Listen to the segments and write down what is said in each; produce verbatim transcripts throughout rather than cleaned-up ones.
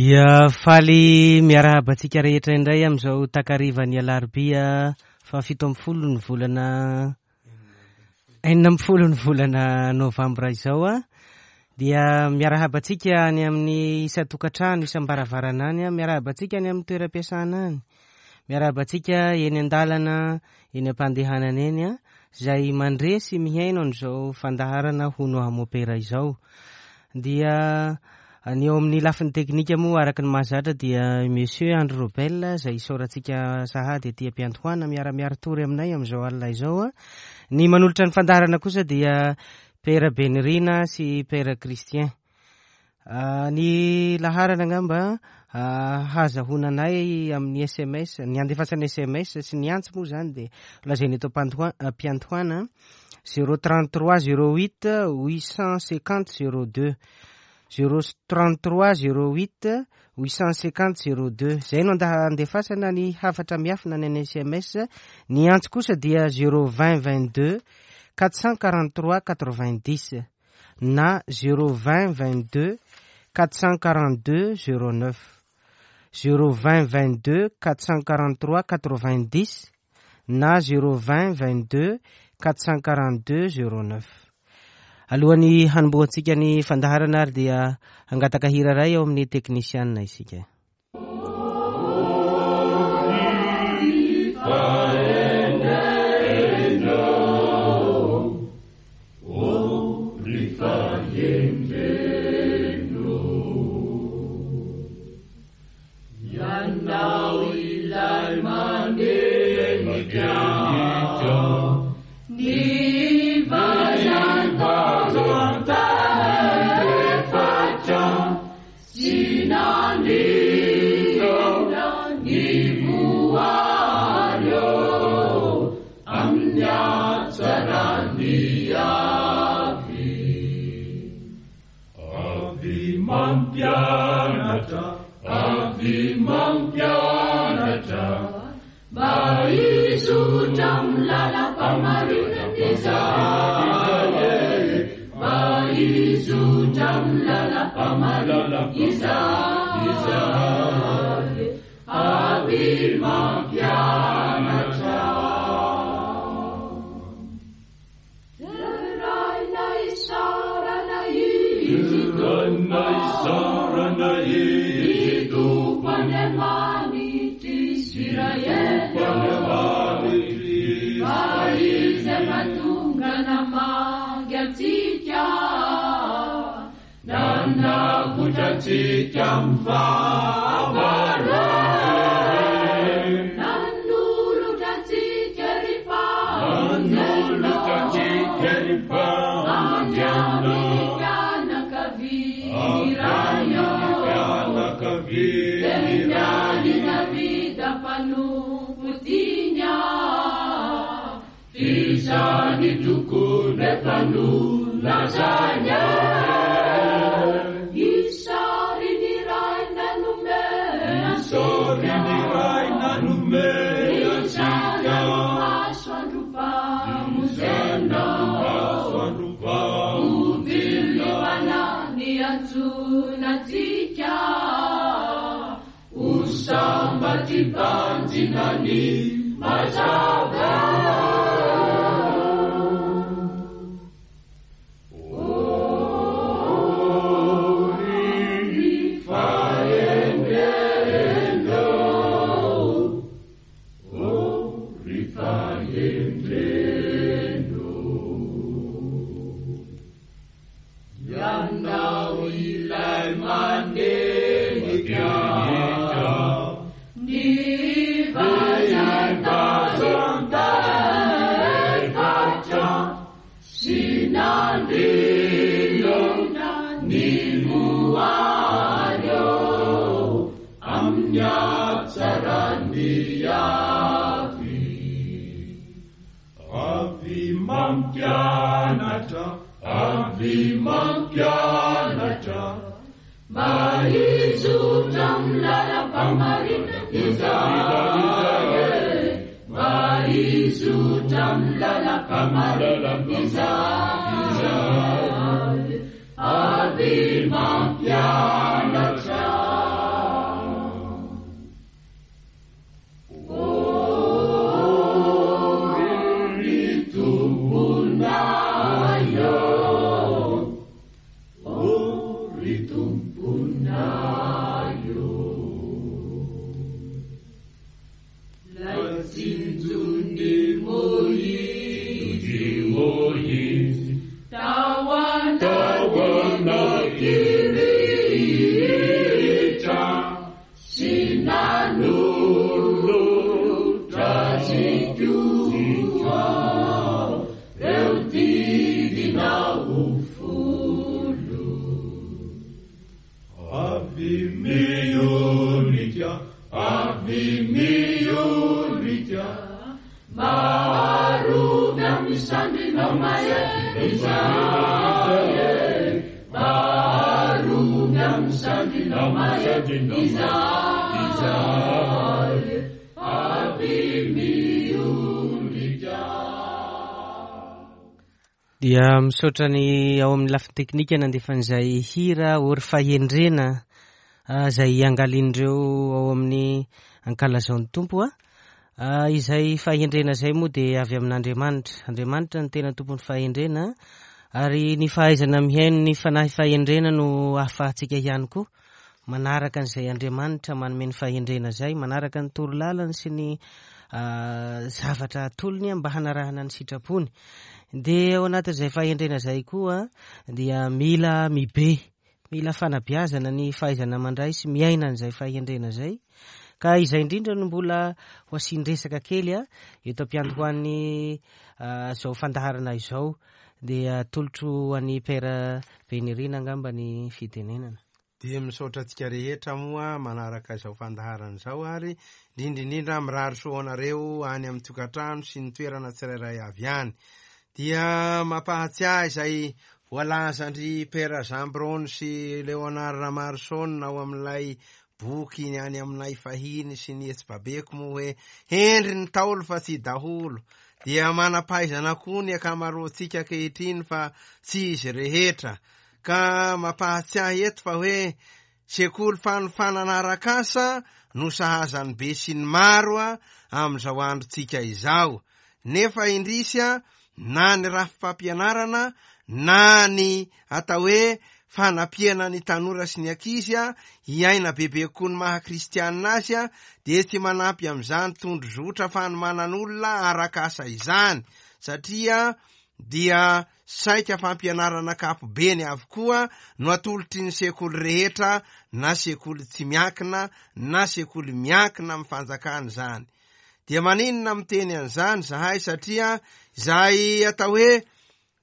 Dia faly miarahaba antsika rehetra indray amin'izao takarivan'ny alarobia fahafito ambin'ny folo ny volana enina ambin'ny folo ny volana novambra izao a. Dia miarahaba antsika any amin'ny isan-tokantrano, isam-baravarana any a, miarahaba antsika any amin'ny toeram-piasana any, miarahaba antsika eny an-dalana, eny am-pandehanana eny a, izay mandre sy mihaino an'izao fandaharana Hono Aho Mopera izao. Dia ny eo amin'ny lafiny teknika moa araka ny mahazatra dia Monsieur Andry Robel izay isaorantsika sahady aty am-piandohana miara-miaritory aminay amin'izao alina izao a. Ny manolotra ny fandaharana kosa dia Père Benirina sy Père Christian. Ny laharana angamba hazahoana anay amin'ny S M S, ny andefasana S M S sy ny antso moa zany dia lazaina eto am-piandohana zéro trente-trois zéro huit huit cent cinquante zéro deux. zéro trente-trois zéro huit huit cent cinquante zéro deux. Zay no andefasana ny hafatra miafina ny any S M S. Ny antso kosa dia zéro vingt vingt-deux quatre cent quarante-trois quatre-vingt-dix na zéro vingt vingt-deux quatre cent quarante-deux zéro neuf. zéro vingt vingt-deux quatre cent quarante-trois quatre-vingt-dix na zéro vingt vingt-deux quatre cent quarante-deux zéro neuf. Alohan'ny hanombohantsika ny fandaharana ary dia hangataka hira iray ao amin'ny teknisianina isika. Avi mampianatra. koa reo didinao folo. Avy miondrika, avy miondrika, maharoby amin'ny sandrinao mahery izahay, maharoby amin'ny sandrinao mahery izahay, avy miondrika. Dia misaotra ny ao amin'ny lafiny teknika nandefa an'izay hira Ory Fahendrena izay iangalin'ireo ao amin'ny Ankalazao ny Tompo. A izay fahendrena izay moa dia avy amin'Andriamanitra. Andriamanitra no tena tompon'ny fahendrena, ary ny fahaizana mihaino ny fanahy fahendrena no ahafahantsika ihany koa manaraka an'izay Andriamanitra manome ny fahendrena izay, manaraka ny torolalany sy ny zavatra atolony mba hanarahana ny sitrapony. Dia ao anatin'izay fahendrena izay koa dia mila mibe, mila fanabeazana ny fahaizana mandray sy miaina an'izay fahendrena izay. Ka izay indrindra no mbola ho asian-dresaka kely a eto am-piandohan'ny izao fandaharana izao. Dia atolotro an'i Père Benirina angamba ny fitenenana. Dia misaotra antsika rehetra moa manaraka izao fandaharana izao, ary indrindra indrindra mirary soa anareo any amin'ny tokantrano sy ny toerana tsirairay avy any. Dia mampahatsiahy izay voalazan-dry Père Jean Brony sy Léonard Ramarson ao amin'ilay boky ny any aminay fahiny sy ny etsy-babeko moa hoe hendry ny taolo fa tsy daholo. Dia manam-pahaizana koa ny ankamaroantsika ankehitriny fa tsy izy rehetra. Ka mampahatsiahy eto fa hoe sekoly fanofanana arak'asa no sahazan'ny be sy ny maro a amin'izao androntsika izao. Nefa indrisy a na ny rafi-pampianarana na ny atao hoe fanampiana ny tanora sy ny ankizy a hiaina bebe kokoa ny maha kristianina azy a dia tsy manampy amin'izany tondrozotra fanomanan'olona arak'asa izany, satria dia saika fampianarana ankapobeny avokoa no atolotry ny sekoly rehetra, na sekoly tsy miankina na sekoly miankina amin'ny fanjakana izany. Dia maninona miteny an'izany zahay? Satria izay atao hoe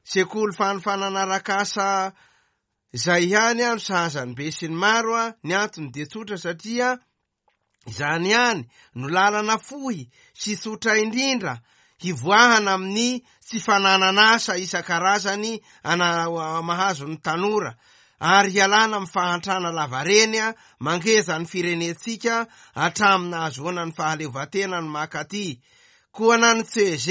sekoly fanofanana arak'asa izay ihany a no sahazan'ny be sy ny maro a ny antony dia tsotra, satria izany ihany no lalana fohy sy tsotra indrindra hivoahana amin'ny tsy fananana asa isan-karazany ana mahazo ny tanora, ary hialana amin'ny fahantrana lavareny a mangeza ny firenentsika hatramin'ny nahazoana ny fahaleovantena ny makaty. Koa na ny C G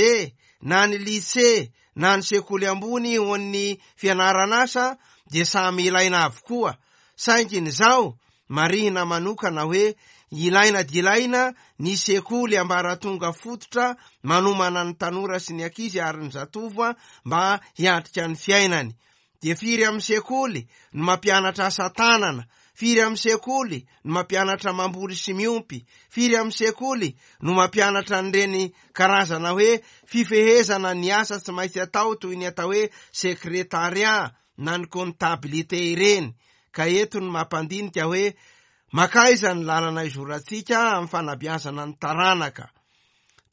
na ny lycée na ny sekoly ambony ho an'ny fianarana asa dia samy ilaina avokoa, saingy ny izao marihina manokana hoe ilaina dia ilaina ny sekoly ambaratonga fototra manomana ny tanora sy ny ankizy ary ny zatovo mba hiatrika ny fiainany. Dia firy amin'ny sekoly no mampianatra asa tanana, firy amin'ny sekoly no mampianatra mamboly sy miompy, firy amin'ny sekoly no mampianatra an'ireny karazana hoe fifehezana ny asa tsy maintsy atao toy ny atao hoe sekretariat na ny comptabilité ireny. Ka eto no mampandinika hoe makaiza ny lalana izorantsika amin'ny fanabeazana ny taranaka.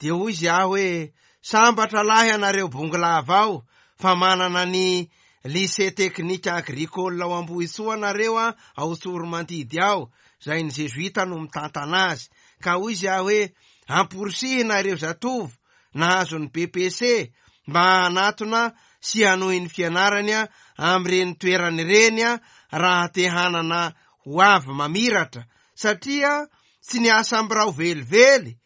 Dia hoy izy aho hoe sambatra lahy ianareo bongolava ao fa manana ny lycée technique agricole ao Ambohitsoa nareo a ao Tsoromandidy ao, izay ny Jesuita no mitantana azy. Ka hoy izy aho hoe amporisihina ireo zatovo nahazo ny B P C mba hanatona sy hanohy ny fianarany a amin'ireny toerana ireny a raha te hanana ho avy mamiratra, satria tsy ny asa ambirao velively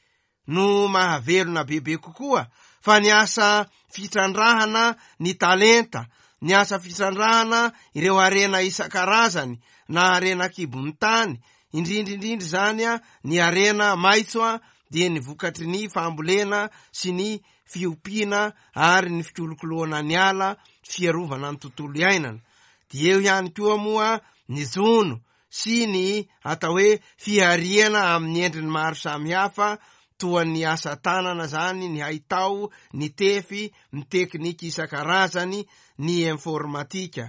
no mahavelona bebe kokoa fa ny asa fitrandrahana ny talenta, ny asa fitrandrahana ireo harena isan-karazany na harena kibon'ny tany, indrindra indrindra izany a ny harena maitso a dia ny vokatry ny fambolena sy ny fiompiana ary ny fikolokoloana ny ala, fiarovana ny tontolo iainana. Dia eo ihany koa moa ny jono sy ny atao hoe fihariana amin'ny endriny maro samihafa toa ny asa tanana zany, ny haitao, ny tefy, ny teknika isan-karazany, ny informatika.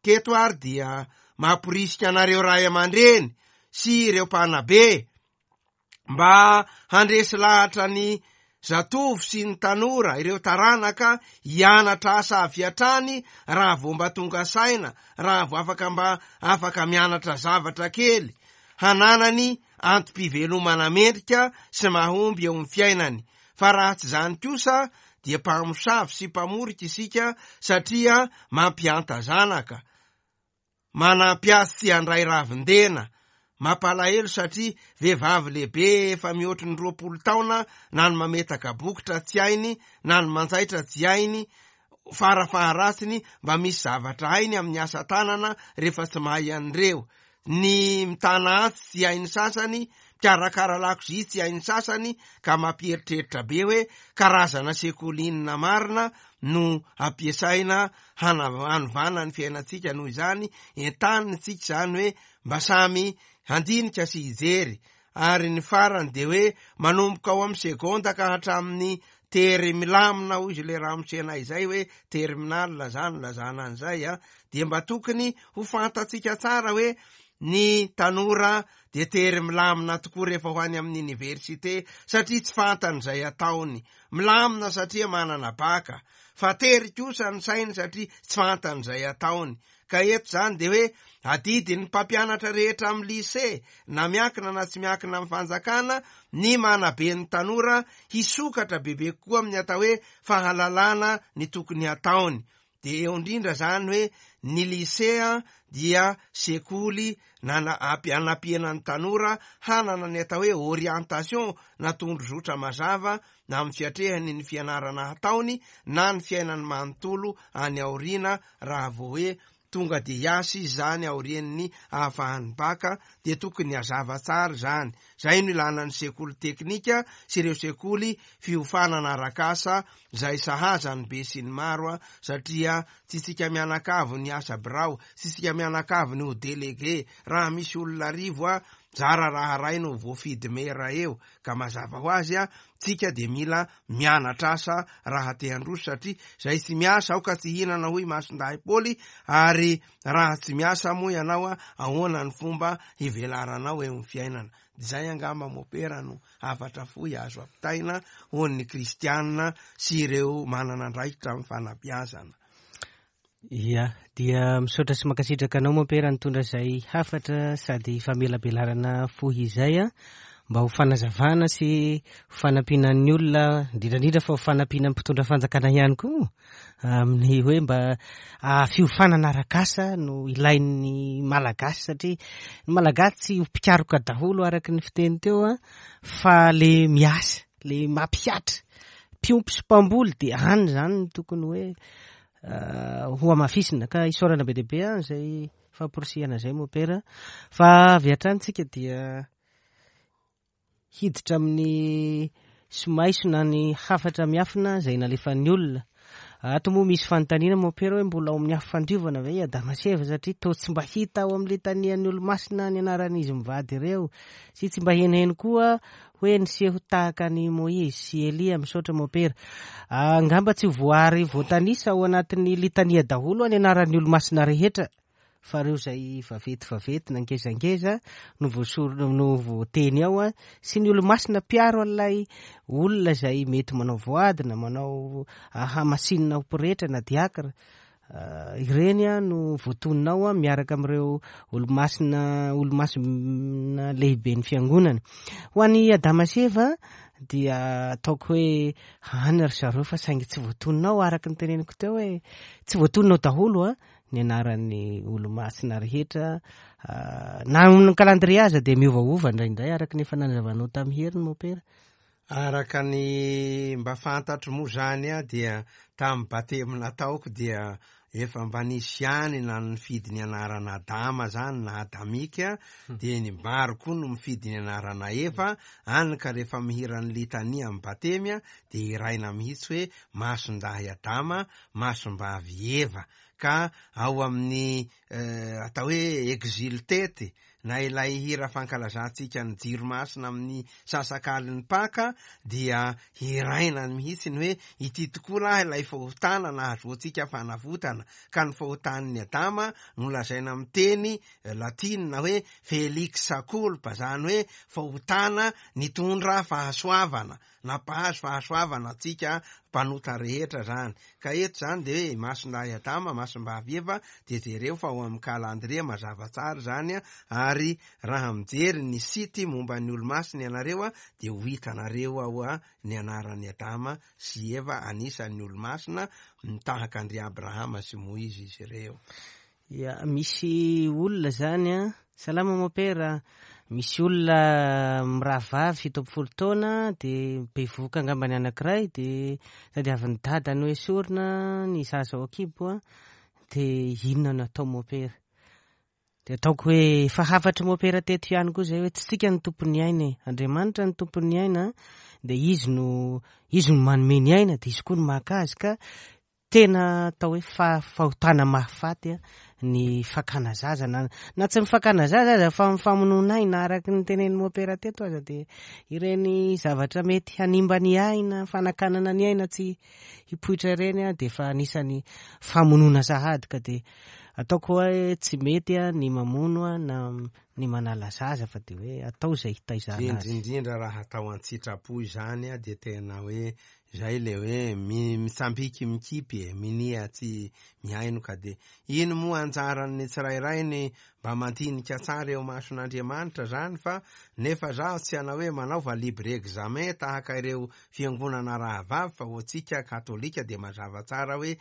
Keto ary dia mamporisika anareo ray aman-dreny sy ireo mpanabe mba handresy lahatra ny zatovo sy ny tanora, ireo taranaka hianatra asa avy hatrany raha vao mba tonga saina, raha vao afaka mba afaka mianatra zavatra kely, hananany antom-pivelomana mendrika sy mahomby eo amin'ny fiainany. Fa raha tsy izany kosa dia mpamosavy sy mpamorika isika satria mampihanta zanaka, manampy azy tsy handray ravin-dena. Mampalahelo satria vehivavy lehibe efa mihoatry ny roapolo taona na ny mametaka bokotra tsy hainy na ny manjaitra tsy hainy, farafaharatsiny mba misy zavatra hainy amin'ny asa tanana rehefa tsy mahay an'ireo. Ny mitana antsy tsy hainy sasany, mikarakara lakozia tsy hainy sasany, ka mampieritreritra be hoe karazana sekoly inona marina no ampiasaina hanovana ny fiainantsika. Noho izany entanina isika izany hoe mba samy handinika sy hijery. Ary ny farany dia hoe manomboka ao amin'ny segonda ka hatramin'ny tery milamina, hoy izy le ramosena izay hoe terminal zany lazana an'izay a, dia mba tokony ho fantatsika tsara hoe ny tanora dia tery milamina tokoa rehefa ho any amin'ny université satria tsy fantany izay ataony. Milamina satria manana baka, fa tery kosa ny sainy satria tsy fantany izay ataony. Ka eto zany dia hoe adidin'ny mpampianatra rehetra amin'ny lycée, na miankina na tsy miankina amin'ny fanjakana, ny manabe ny tanora hisokatra bebe kokoa amin'ny atao hoe fahalalana ny tokony hataony. Dia eo indrindra zany hoe ny lycée dia sekoly anampiana ny tanora hanana ny atao hoe orientation na tondrozotra mazava na amin'ny fiatrehany ny fianarana hataony na ny fiainany manontolo any aoriana. Raha vao hoe tonga dia hiasa izy zany aorian'ny ahafahan'ny baka dia tokony hazava tsara zany. Zay no ilana ny sekoly teknika sy ireo sekoly fiofanana arak'asa izay sahaza ny be sy ny maro, satria tsy isika mianakavy ny asa birao, tsy isika mianakavy ny ho délégué. Raha misy olona arivo a, zara raha ray no voafidy mera eo, ka mazava ho azy a, tsika dia mila mianatra asa raha te handroso, satria zay tsy miasa aoka tsy hihinana, hoy Masindahy Paoly. Ary raha tsy miasa moa ianao a, ahoana ny fomba hivelaranao eo amin'ny fiainana? Izay angamba mopera no hafatra fohy azo ampitaina ho an'ny kristianina sy ireo manana andraikitra amin'ny fanabeazana. Ia, dia misaotra sy mankasitraka anao mopera nitondra izay hafatra sady famelabelarana fohy izay a, mba ho fanazavana sy ho fanampiana ny olona, indrindrandrindra fa ho fanampiana ny mpitondra fanjakana ihany koa amin'ny hoe mba fiofanana arak'asa no ilain'ny Malagasy, satria ny Malagasy tsy ho mpikaroka daholo araka ny fiteny teo a, fa le miasa, le mampihatra, mpiompy sy mpamboly dia any zany no tokony hoe ho hamafisina. Ka isaorana be dia be a izay famporisihana izay mopera. Fa avy hatrany tsika dia hiditra amin'ny somaiso na ny hafatra miafina izay nalefan'ny olona. Ato moa misy fanontaniana mopera hoe mbola ao amin'ny afo fandiovana ve i Adama sy Eva, satria toa tsy mba hita ao amin'ny litanian'ny olomasina ny anaran'izy mivady ireo, sy tsy mba henoheno koa hoe niseho tahaka ny Moizy sy Elia. Misaotra mopera. Angamba tsy voary voatanisa ao anatin'ny litania daholo ny anaran'ny olomasina rehetra, fa ireo izay vaventy vaventy na ngezangeza no voasorona no voateny ao a, sy ny olomasina mpiaro an'ilay olona izay mety manao voady na manao hamasinina ho pretra na diakra. Ireny a no voatonona ao a, miaraka amin'ireo olomasina olomasina lehibe ny fiangonana. Ho an'i Adama sy Eva dia ataoko hoe any ry zareo, fa saingy tsy voatonona ao araka ny teneniko teo hoe tsy voatonona ao daholo a ny anaran'ny olomasina rehetra. Na amin'ny calendrier aza dia miovaova indraindray araka ny efa nanazavanao tamin'ny heriny mopera. Araka ny mba fantatro moa zany a, dia tamin'ny batemy nataoko dia efa mba nisy ihany na nifidy ny anarana Adama zany na Adamika, dia ny maro koa no mifidy ny anarana Eva any. Ka rehefa mihira ny litania amin'ny batemy a, dia hiraina mihitsy hoe masindahy Adama, masimbavy Eva. Ka ao amin'ny atao hoe exultete na ilay hira fankalazantsika ny jiro masina amin'ny sasakalin'ny Paka dia hiraina mihitsy ny hoe ity tokoa lahy ilay fahotana nahazoantsika fanavotana. Ka ny fahotan'ny Adama no lazaina amin'ny teny latinina hoe felix culpa, zany hoe fahotana nitondra fahasoavana. nampahazo fahasoavana antsika mpanota rehetra zany. Ka eto zany de hoe Masindahy Adama, Masimbavy Eva, de jereo fa ao amin'ny calendrier mazava tsara zany a, ary raha mijery ny site momba ny olo-masina ianareo a, de ho hitanareo ao a ny anaran'i Adama sy Eva, anisan'ny olo-masina mitahaka an-dry Abrahama sy Moizy izy ireo. Ya, misy olona zany a, salama mopera, misy olona mirahavavy fito amby folo taona de bevohoka angamba ny anankiray, de tadiavin'ny dadany ho esorina ny zaza ao an-kibo a, de inona no atao mopera? De ataoko hoe efa hafatry mopera teto ihany koa zay hoe tsy tsika ny tompon'ny aina e, Andriamanitra ny tompon'ny aina, de izy no izy no manome ny aina, de izy koa no maka azy, ka tena atao hoe fa- fahotana mahafaty a ny fakana zaza, na na tsy ny fakana zaza aza fa ny famonoana aina araky ny tenenin'ny mopera teto aza, de ireny zavatra mety hanimba ny aina, fanakanana ny aina tsy hipoitra ireny a, de efa anisan'ny famonoana sahady, ka de ataoko hoe tsy mety a ny mamono a na ny manala zaza, fa de hoe atao izay hitaizana azy. Indrindrindra raha atao an-tsitrapo izany a, de tena hoe zay le hoe mi- mitsambiky mikipy e, minia tsy mihaino, ka de ino moa anjaran'ny tsirairay ny mba mandinika tsara eo mason'Andriamanitra zany, fa nefa zaho tsy hanao hoe manaova libre examen tahaka ireo fiangonana rahavavy, fa ho antsika katolika de mazava tsara hoe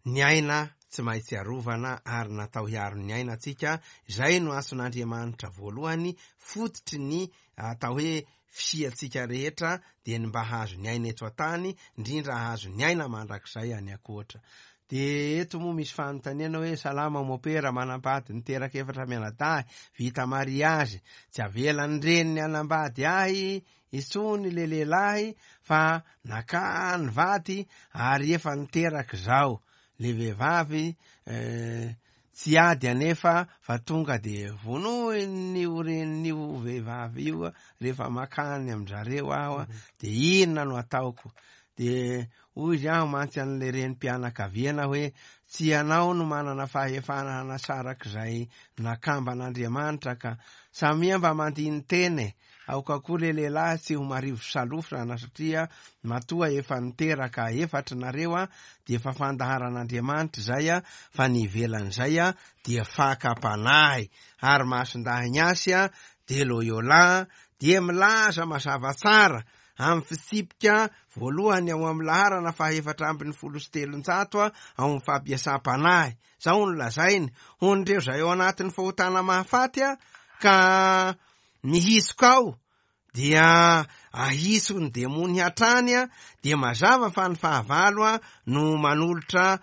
ny aina tsy maintsy arovana ary natao hiaro ny aina antsika. Zay no antson'Andriamanitra voalohany, fototry ny atao hoe fisiantsika rehetra, de ny mba hahazo ny aina eto an-tany, indrindra hahazo ny aina mandrakizay any ankoatra. De eto moa misy fanontaniana hoe salama mopera, manambady niteraka efatra mianadahy, vita mariazy, tsy avelan'ny reniny hanambady ahy intsony le lehilahy fa nakany vady ary efa niteraka zao. Le vehivavy eh, tsy ady anefa fa tonga de vonoin'io renin'io vehivavy io rehefa makany amin-drareo aho a, de inona no ataoko? De hoy izy aho mantsy an'le renim-pianakaviana hoe tsy ianao no manana fahefana hanasarak'izay nakamban'Andriamanitra, ka samia mba mandiny teny e. Aoka koa le lehilahy tsy ho marivo salofrana, satria matoa efa niteraka efatra nareo a, de efa fandaharan'Andriamanitra zay a, fa ny ivelan'izay a dia fakam-panahy. Ary Masindahy Ignace a de Loyola dia milaza mazava tsara amin'ny fitsipika voalohany ao amin'ny laharana fahaefatra ambin'ny folo sy telonjato a ao amin'ny fampiasam-panahy. Zao no lazainy: ho an'ireo zay ao anatin'ny fahotana mahafaty a ka mihitsoka ao, dia ahiso ny demony hatrany a, dia mazava fa ny fahavalo a no manolotra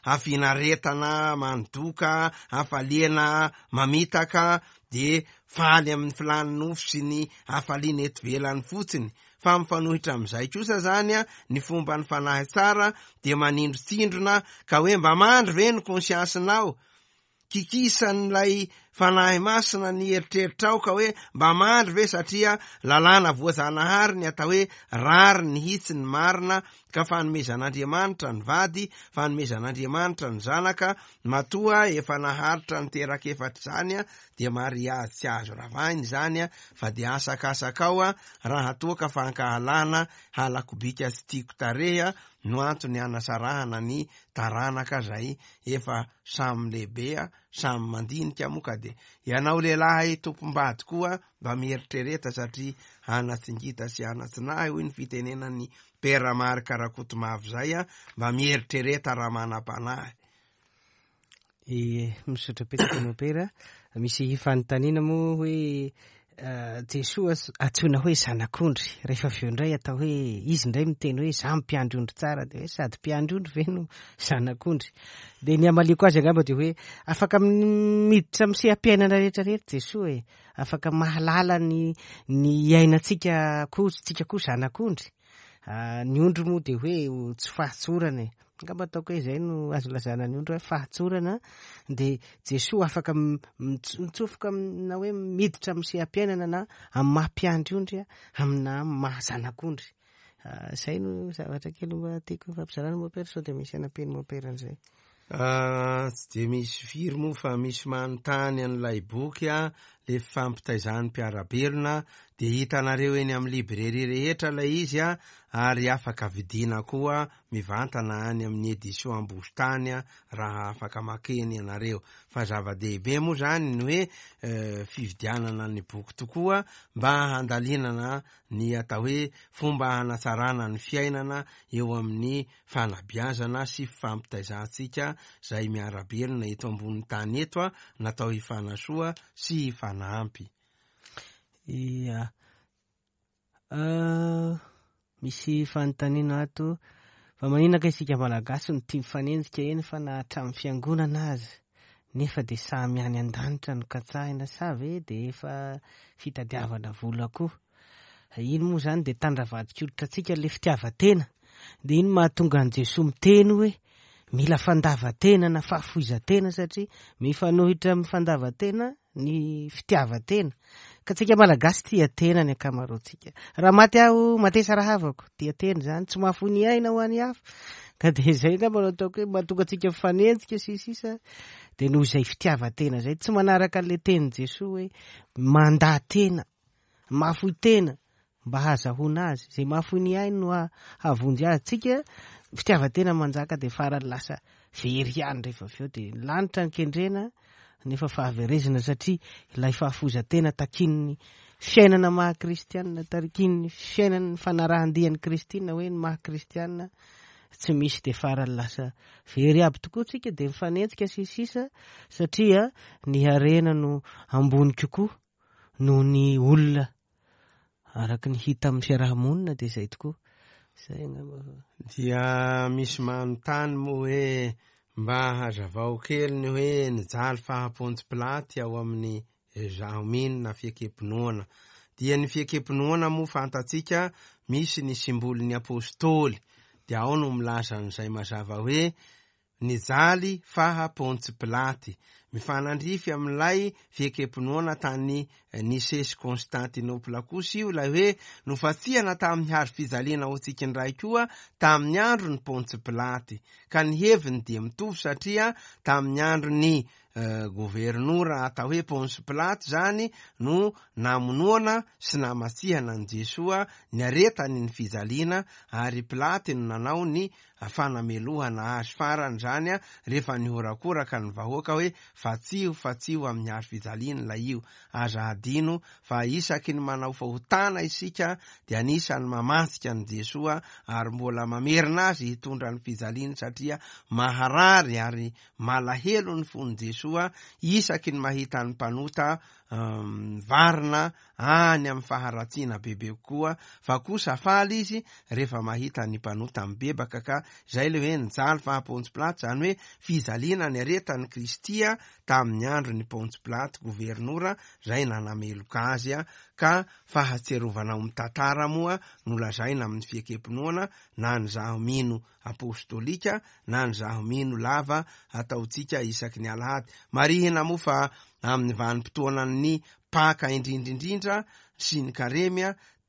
hafinaretana mandoka, hafaliana mamitaka, de faly amin'ny filan'ny nofo sy ny hafaliana eto ivelany fotsiny. Fa mifanohitra amin'izay kosa zany a ny fomba ny fanahy tsara dia manindrotsindrona ka hoe mba mandry ve ny konsiansinao, kikisan'ilay fanahy masina ny eritreritrao ka hoe mba mandry ve, satria lalàna voajanahary ny atao hoe rary ny hitsy ny marina, ka fanomezan'Andriamanitra ny vady, fanomezan'Andriamanitra ny zanaka, matoa efa naharitra niteraka efatra zany a, dia mariazy tsy azo ravahiny zany a, fa de asakasakao a raha toa ka fankahalana halakobika sy tiako tarehy a no antony anasarahana ny taranaka zay efa samy lehibe a, samy mandinika moa. Ka de ianao lehilahy tompom-bady koa mba mieritrereta, satria anatsingita sy anatsinahy hoy ny fitenenan'ny Père Marc Rakotomavo zay a, mba mieritrereta raha manam-panahy. E, misaotra betsaka mopera. Misy fanontaniana moa hoe Jesoa antsoina hoe zanak'ondry, rehefa avy eo indray atao hoe izy indray miteny hoe za mpiandry ondry tsara, de hoe sady mpiandry ondry ve no zanak'ondry? De ny hamaliako azy angamba de hoe afaka miditra amin'ny seha-piainana rehetrarehetra Jesoa e, afaka mahalala ny ny iainantsika koa, tsika koa zanak'ondry. Ny ondry moa de hoe tsy fahatsorana e, angamba ataoko hoe zay no azo lazana ny ondry hoe fahatsorana, de Jesoa afaka mitsofoka na hoe miditra amin'ny seha-piainana na amin'ny maha mpiandry ondry amina maha zanak'ondry. Zay no zavatra kely mba tiako fampizarana mopera, sao de misy anampian'ny mopera an'izay. Tsy de misy firy moa fa misy manontany an'ilay boky a, le fifampitaizan'ny mpiara-belona, dia hitanareo eny amin'ny librairie rehetra ilay izy a, ary afaka vidiana koa mivantana any amin'ny édition Ambositany raha afaka makeny ianareo. Fa zava-dehibe moa zany ny hoe eh, fividianana ny boky tokoa mba handalinana ny atao hoe fomba hanatsarana ny fiainana eo amin'ny fanabeazana sy fifampitaizantsika izay miara-belona eto ambony tany eto a, natao hifanasoa sy hifanampy. Ia. Uh, misy fanontaniana ato. Fa maninona ka isika Malagasy no tia mifanenjika eny fa na hatramin'ny fiangonana aza, nefa dia samy any an-danitra no katsahina, sa ve dia efa fitadiavana vola koa? Iny moa zany dia tandravadik'olitra antsika le fitiavan-tena. Dia iny mahatonga an'i Jesoa miteny hoe mila fandavan-tena na fahafoizan-tena, satria mifanohitra amin'ny fandavan-tena ny fitiavan-tena. Ka tsika Malagasy tia tena ny ankamaroantsika. Raha maty aho, matesa rahavako, tia tena zany, tsy mahafoy ny aina ho an'ny hafa. Ka dia izay angamba no ataoko hoe mahatonga antsika mifanenjika sy sisa, dia noho izay fitiavan-tena zay, tsy manaraka an'ilay tenin'i Jesoa hoe mandà tena, mahafoy tena mba hahazahoana azy. Izay mahafoy ny ainy no hahavonjy azy. Tsika fitiavan-tena manjaka dia farany lasa very ihany rehefa avy eo, dia ny lanitra no kendrena nefa fahaverezana, satria ilay fahafoizan-tena takin'ny fiainana maha kristianina, takin'ny fiainana fanarahan-dian'i Kristy na hoe ny maha kristianina tsy misy, dia farany lasa very aby tokoa tsika, dia mifanenjika sy sisa, satria ny harena no ambony kokoa noho ny olona araka ny hita amin'ny fiarahamonina, dia izay tokoa. Izay angamba. Dia misy manontany moa hoe mba hazavao kely ny hoe nijaly faha Pontsy Pilaty ao amin'ny zaho mino na fiekem-pinoana. Dia ny fiekem-pinoana moa fantatsika misy ny simbolin'ny apôstôly, dia ao no milaza an'izay mazava hoe nijaly faha Pontsy Pilaty. Mifanandrify amin'ilay fiekem-pinoana tany Nicée sy Constantinople kosa io, ilay hoe nofatsihana tamin'ny hazo fijaliana ho antsika indray koa tamin'ny andron'ny Pontsy Pilaty. Ka ny heviny dia mitovy, satria tamin'ny andron'ny governora atao hoe Pontsy Pilaty zany no namonoana sy namatsihana an'i Jesoa niaretany ny fijaliana, ary Pilaty no nanao ny fanamelohana azy farany zany a, rehefa nihorakoraka ny vahoaka hoe fatsiho, fatsiho amin'ny hazo fijaliana ilay io. Aza hadino fa isaky ny manao fahotana isika dia anisan'ny mamatsika an'i Jesoa ary mbola mamerina azy hitondra ny fijaliana, satria maharary ary malahelo ny fon'i Jesoa isaky ny mahita ny mpanota mivarina any amin'ny faharatsiana bebe kokoa, fa kosa faly izy rehefa mahita ny mpanota mibebaka. Ka izay le hoe nijaly faha Pontsy Pilaty, zany hoe fijaliana ny aretan'i Kristy tamin'ny andron'ny Pontsy Pilaty governora zay nanameloka azy. Ka fahatserovana ao amin'ny tantara moa no lazaina amin'ny fiekem-pinoana, na ny zaho mino apostolika na ny zaho mino lava ataontsika isaky ny alahady. Marihina moa fa amin'ny vanim-potoanan'ny Paka indrindrindrindra sy ny karemy,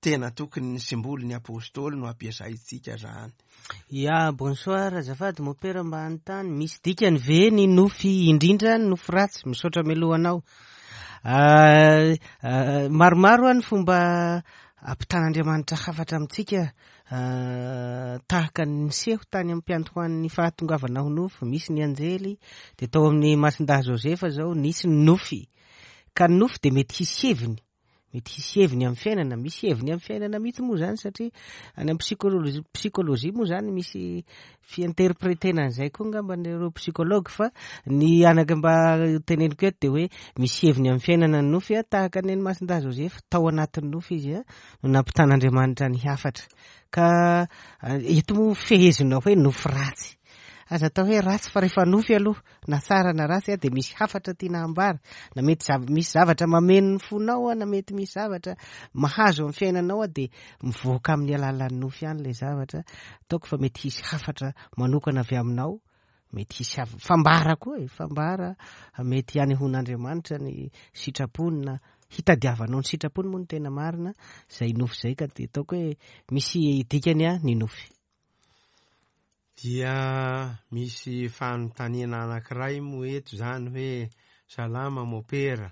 tena tokony ny simbolin'ny apôstôly no ampiasaintsika zany. Ya, bonsoir, azafady mopera, mba hanontany, misy dikany ve ny nofy, indrindra ny nofy ratsy? Misaotra mialohanao. Uh, uh, maromaro ny fomba ampitan'Andriamanitra hafatra amintsika, uh, tahaka ny niseho tany amin'ny mpiantohan'ny fahatongavana ho nofo. Misy ny anjely, dia tao amin'ny Masindahy Josefa zao nisy ny nofy. Ka ny nofy dia mety hisy heviny, mety hisy heviny amin'ny fiainana, misy heviny amin'ny fiainana mihitsy moa zany, satria any amin'ny psychologie, psychologie moa zany misy fiinterpretena an'izay koa angamba ireo psychologue, fa ny anaka mba teneniko eto dia hoe misy heviny amin'ny fiainana ny nofy, tahaka ny an'i Masindahy Josefa tao anatin'ny nofy izy a no nampitan'Andriamanitra ny hafatra. Ka eto moa fehezinao hoe nofy ratsy, aza atao hoe ratsy fa rehefa nofy aloha na tsara na ratsy dia misy hafatra tiana ambara, na mety zav-, misy zavatra mameno ny fonao, na mety misy zavatra mahazo amin'ny fiainanao, dia mivoaka amin'ny alalan'ny nofy ihany ilay zavatra. Ataoko fa mety hisy hafatra manokana avy aminao, mety hisy hav-, fambara koa e, fambara mety hanehoan'Andriamanitra ny sitrapony na hitadiavanao ny sitrapony moa no tena marina izay nofy izay. Ka dia ataoko hoe misy dikany a ny nofy. Dia misy fanontaniana anankiray moa eto zany hoe salama mopera,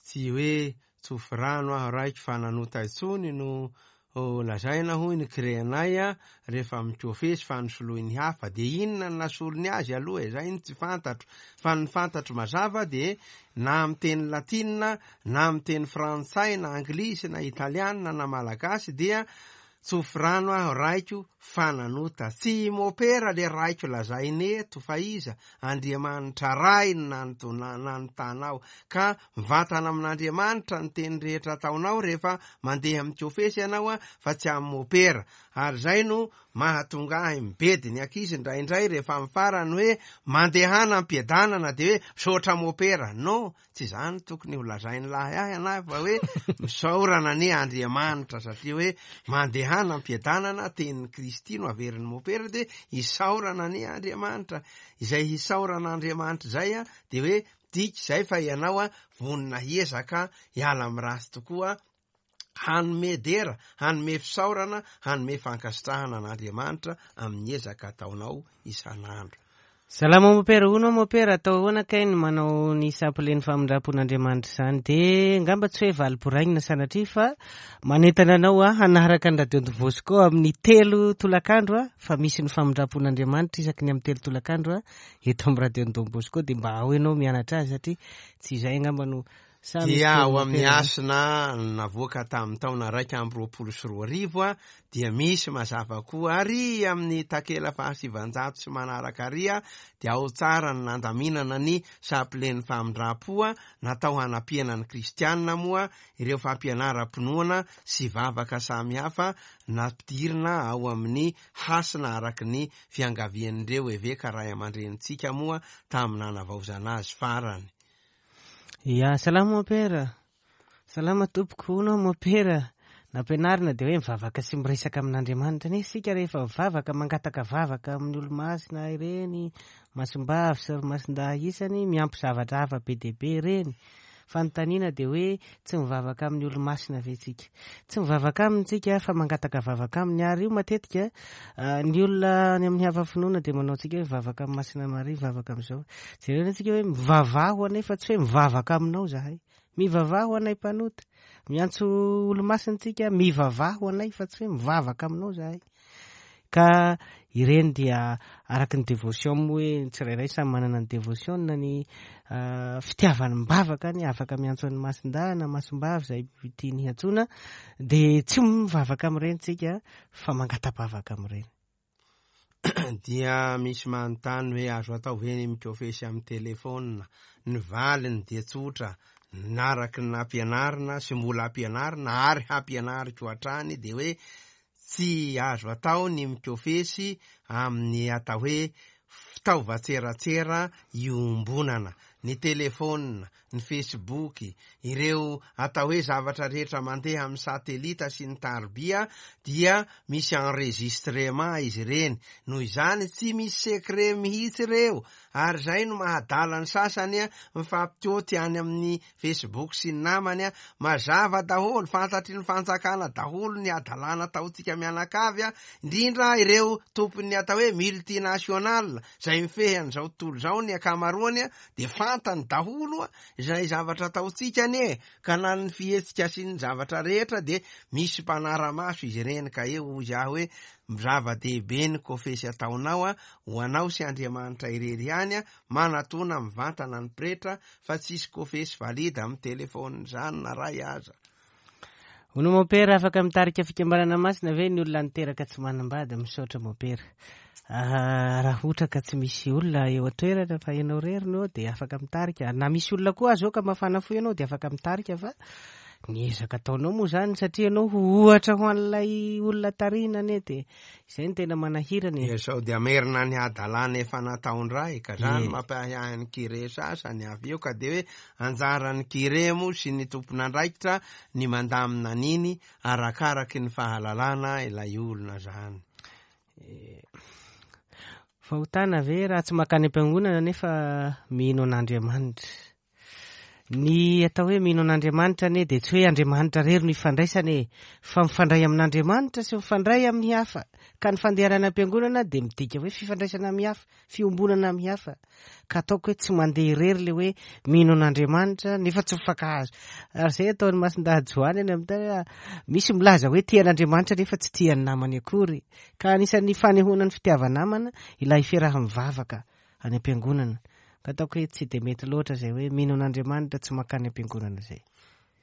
Tsy hoe tsofy rano aho raiky fa nanota intsony no lazaina hoy ny kirenay a rehefa mikofesy fa nosoloiny hafa. De inona ny nasolony azy aloha e? Zay ny tsy fantatro, fa ny fantatro mazava de na amin'ny teny latinina na amin'ny teny frantsay na anglisy na italiana na malagasy dia tsofy rano aho raiko fa nanota. Tsy mopera le raiko lazainy eto fa iza? Andriamanitra Ray no nanotanao, ka mivantana amin'Andriamanitra ny teny rehetra ataonao rehefa mandeha mikofesy ianao a fa tsy amin'ny mopera. Ary zay no mahatonga ahy mibedy ny ankizy indraindray rehefa amin'ny farany hoe mandehana am-piadanana de hoe misaotra mopera. No, tsy zany tokony ho lazainy lahy ahy anahy fa hoe misaorana anie Andriamanitra satria hoe mandehana am-piadanana, tenin'i Kristy no averin'ny mopera de isaorana anie Andriamanitra. Izay hisaorana Andriamanitra zay a de hoe diky zay fa ianao a vonona hiezaka hiala amin'ny ratsy tokoa, hanome dera, hanome fisaorana, hanome fankasitrahana an'Andriamanitra amin'ny ezaka ataonao isan'andro. Salama mopera, hono mopera, atao ahoana kay ny manao ny samplen'ny famindram-pon'Andriamanitra izany? De ngamba tsy hoe valim-boraingina sanatria fa manentana anao a hanaraka ny Radio Don Bosco amin'ny telo tolakandro a, fa misy ny famindram-pon'Andriamanitra isaky ny amin'ny telo tolakandro a eto amin'ny Radio Don Bosco, de mba ao ianao mianatra azy satria tsy izay angamba no dia ao amin'ny hasina navoaka tamin'ny taona raika amby roapolo sy roa arivo a dia misy mazava koa ary amin'ny takela fahasivanjato sy manaraka ary a dia ao tsara ny nandaminana ny sapilen'ny famindram-po a natao hanampiana ny kristianina moa ireo fampianaram-pinoana sy vavaka samihafa nampidirina ao amin'ny hasina araky ny fiangavian'ireo eveka ray aman-drenintsika moa tamin'ny nanavaozana azy farany. Ya, salama mopera. Salama tompoko, hono mopera. Nampianarina dia hoe mivavaka sy miresaka amin'Andriamanitra. Nefa isika rehefa mivavaka, mangataka vavaka amin'ny olo-masina ireny, masimbavy sy masindahy isany, miampy zavatra hafa be dia be ireny. Fanontaniana dia hoe tsy mivavaka amin'ny olo-masina ve tsika? Tsy mivavaka aminy tsika fa mangataka vavaka aminy, ary io matetika ny olona any amin'ny hafa finoana dia manao antsika hoe mivavaka amin'ny Masina Maria, mivavaka amin'izao. Jerena antsika hoe mivavaha ho anay fa tsy hoe mivavaka aminao zahay. Mivavaha ho anay mpanota. Miantso olo-masina tsika, mivavaha ho anay fa tsy hoe mivavaka aminao zahay. Ka ireny dia araky ny dévotion moa hoe ny tsirairay samy manana ny dévotion na ny fitiavany mivavaka ny afaka miantso an'ny masindahy na masimbavy izay tiany hiantsoana, dia tsy mivavaka amin'ireny tsika fa mangata-bavaka amin'ireny. Dia misy manontany hoe azo atao ve ny mikofesy amin'ny telefônina? Ny valiny dia tsotra, naraky ny nampianarina sy mbola ampianarina ary hampianariko hatrany dia hoe tsy azo atao ny mikofesy amin'ny atao hoe fitaovan-tseratsera iombonana, ny telefônina, ny Facebook, ireo atao hoe zavatra rehetra mandeha amin'ny satelita sy ny tarobia dia misy enregistrement izy ireny. Noho izany tsy misy secret mihitsy ireo, ary izay no mahadala ny sasany a mifampitioty any amin'ny Facebook sy ny namany a mazava daholo, fantatry ny fanjakana daholo ny hadalana ataontsika mianakavy a, indrindra ireo tompon'ny atao hoe multinational izay mifehy an'izao tontolo izao ny ankamaroany a dia fantany daholo a izay zavatra ataontsika anie, ka na ny fihetsika sy ny zavatra rehetra dia misy mpanara-maso izy ireny. Ka eo izy aho hoe zava-dehibe ny kofesy ataonao a ho anao sy Andriamanitra irery ihany a, manatona mivantana ny pretra fa tsisy kofesy valida amin'ny telefônina izany na ray aza. Hono mopera, afaka mitarika fikambanana masina ve ny olona niteraka tsy manambady? Misaotra mopera. Raha ohatra ka tsy misy olona eo an-toerana fa ianao irery no eo dia afaka mitarika, na misy olona koa aza eo ka mafana fo ianao dia afaka mitarika, fa ny ezaka ataonao moa zany satria ianao ho ohatra ho an'ilay olona tarihina anie dia izay no tena manahirana e. Dia sao dia amerina ny hadalana efa nataon-dray, ka zany mampiahiahy ny kire sasany avy eo, ka dia hoe anjaran'ny kire moa sy ny tompon'andraikitra ny mandamina an'iny arakaraky ny fahalalana ilay olona zany. Fahotana ve raha tsy mankany am-piangonana nefa mino an'Andriamanitra? Ny atao hoe mino an'Andriamanitra anie dia tsy hoe Andriamanitra irery no ifandraisana e, fa mifandray amin'Andriamanitra sy mifandray amin'ny hafa. Ka ny fandehanana am-piangonana dia midika hoe fifandraisana amin'ny hafa, fiombonana amin'ny hafa. Ka ataoko hoe tsy mandeha irery le hoe mino an'Andriamanitra nefa tsy mifankahazo. Ary izay ataon'ny Masindahy Joany any amin'ny tany, misy milaza hoe tia an'Andriamanitra nefa tsy tia ny namany akory. Ka anisan'ny fanehoana ny fitiava-namana ilay fiaraha-mivavaka any am-piangonana. Ka ataoko hoe tsy dia mety loatra izay hoe mino an'Andriamanitra tsy mankany am-piangonana izay.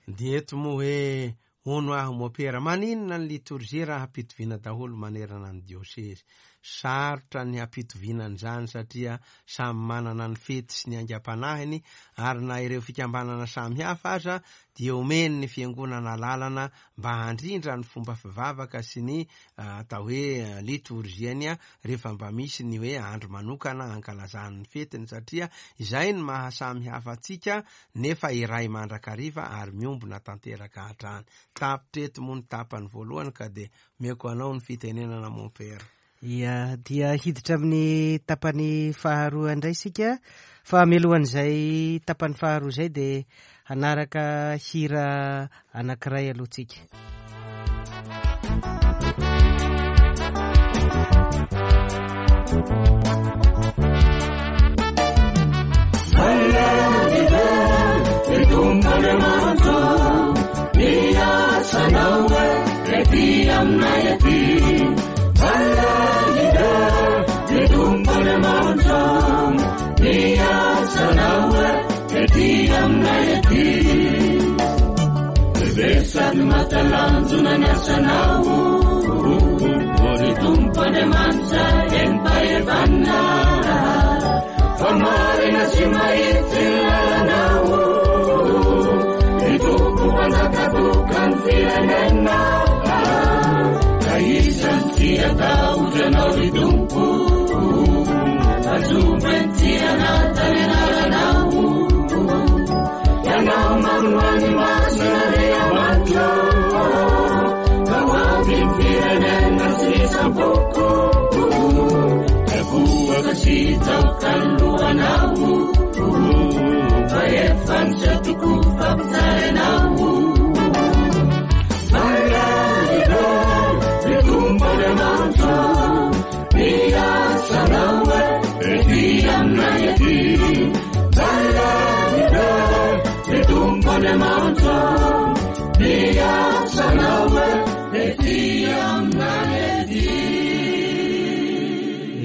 Dia eto moa hoe hono aho mopera, maninona ny litorjia raha hampitoviana daholo manerana ny diosezy? Sarotra ny hampitoviana an'izany satria samy manana ny fety sy ny aingam-panahiny, ary na ireo fikambanana samihafa aza dia omeny ny fiangonana lalana mba handrindra ny fomba fivavaka sy ny atao hoe litorjiany rehefa mba misy ny hoe andro manokana ankalazany ny fetiny, satria izay ny mahasamihafa antsika nefa iray mandrakariva ary miombona tanteraka hatrany. Tapitra eto moa ny tapany voalohany ka dia omeko anao ny fitenenana mompera. Ia, dia hiditra amin'ny tapany faharoa indray isika, fa mialohan'izay tapany faharoa izay dia hanaraka hira anankiray aloha tsika.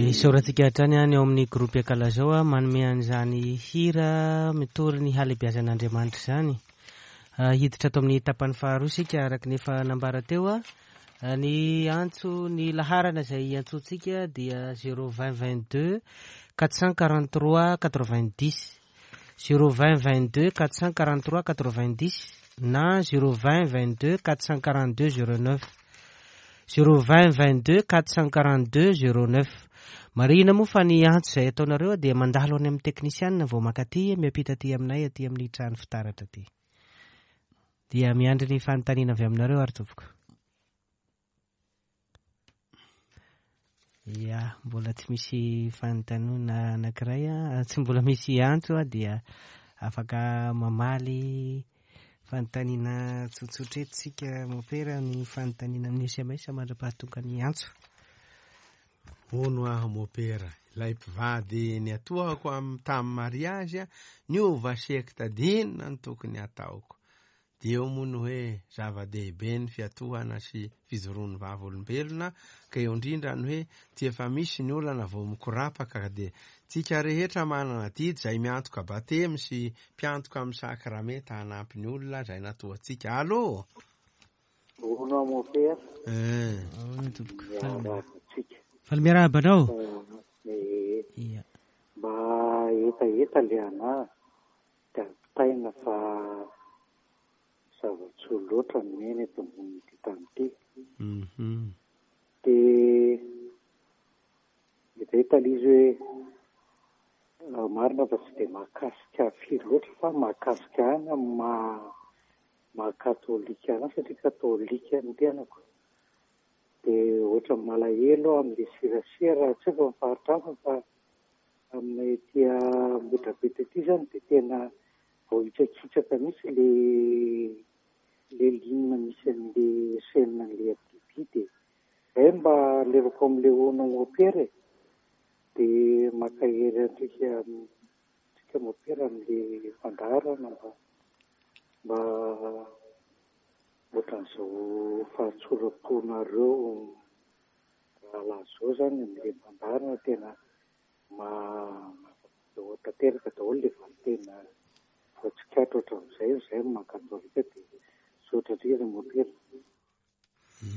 Isaorantsika hatrany any ao amin'ny groupe Akalazao manome an'izany hira mitory ny halehibiazan'Andriamanitra izany. Hiditra ato amin'ny tapany faharoa isika araka ny efa nambara teo. Ny antso, ny laharana izay iantsoantsika dia zéro vingt vingt-deux quatre cent quarante-trois quatre-vingt-dix, zéro vingt vingt-deux quatre cent quarante-trois quatre-vingt-dix na zéro vingt vingt-deux quatre cent quarante-deux zéro neuf, zéro vingt vingt-deux quatre cent quarante-deux zéro neuf. Marihina moa fa ny antso izay ataonareo dia mandalo any amin'ny teknisianina vao mankaty, miampita aty aminay aty amin'ny trano fitaratra aty. Dia miandry ny fanontaniana avy aminareo ary tompoko. Ia, mbola tsy misy fanontaniana anankiray, tsy mbola misy antso, dia afaka mamaly fanontaniana tsotsotra eto isika mopera ny fanontaniana amin'ny S M S mandra-pahatonga ny antso. Hono aho mopera, ilay mpivady ny atohako amin'ny tamin'ny mariazy niova sekta dinina ny tokony ataoko. Dia eo moa ny hoe zava-dehibe ny fiatohana sy fijoroan'ny vavolombelona, ka eo indrindra ny hoe tsy efa misy ny olana vao mikorapaka, dia tsika rehetra manana adidy izay miantoka batemy sy mpiantoka amin'ny sakramenta hanampy ny olona izay natoantsika. Allô? Hono aho mopera. Eh. Hono tompoko. Miarahaba antsika. Faly miarahaba anao. Eh, Ia. Mba hetaheta le anahy dia ampitaina fa zava-tsoa loatra ny miaina eto ambonin'ity tany ity. Mhm. Dia hetaheta ilay izy hoe marina fa tsy dia mahakasika firy loatra fa mahakasika ahy amin'ny maha maha katôlika anahy satria katôlika ny tenako. Dia ohatra malahelo aho amin'ilay serasera, tsy haiko amin'ny faritra hafa fa amin'ny ety Ambohidrapeto ety izany dia tena Voahitsakitsaka mihitsy le le ligne misy an'le chaîne an'le R T B, dia zay mba alevako amin'le ono mopera e, dia mankahery antsika antsika mopera amin'le fandaharana mba mba ohatran'izao fahatsoram-ponareo rahalahy zao zany amin'le fandaharana tena ma- tanteraka daholo le valintena voatsikatra ohatran'izay, zay no maha-katolika dia misaotra indrindra mopera.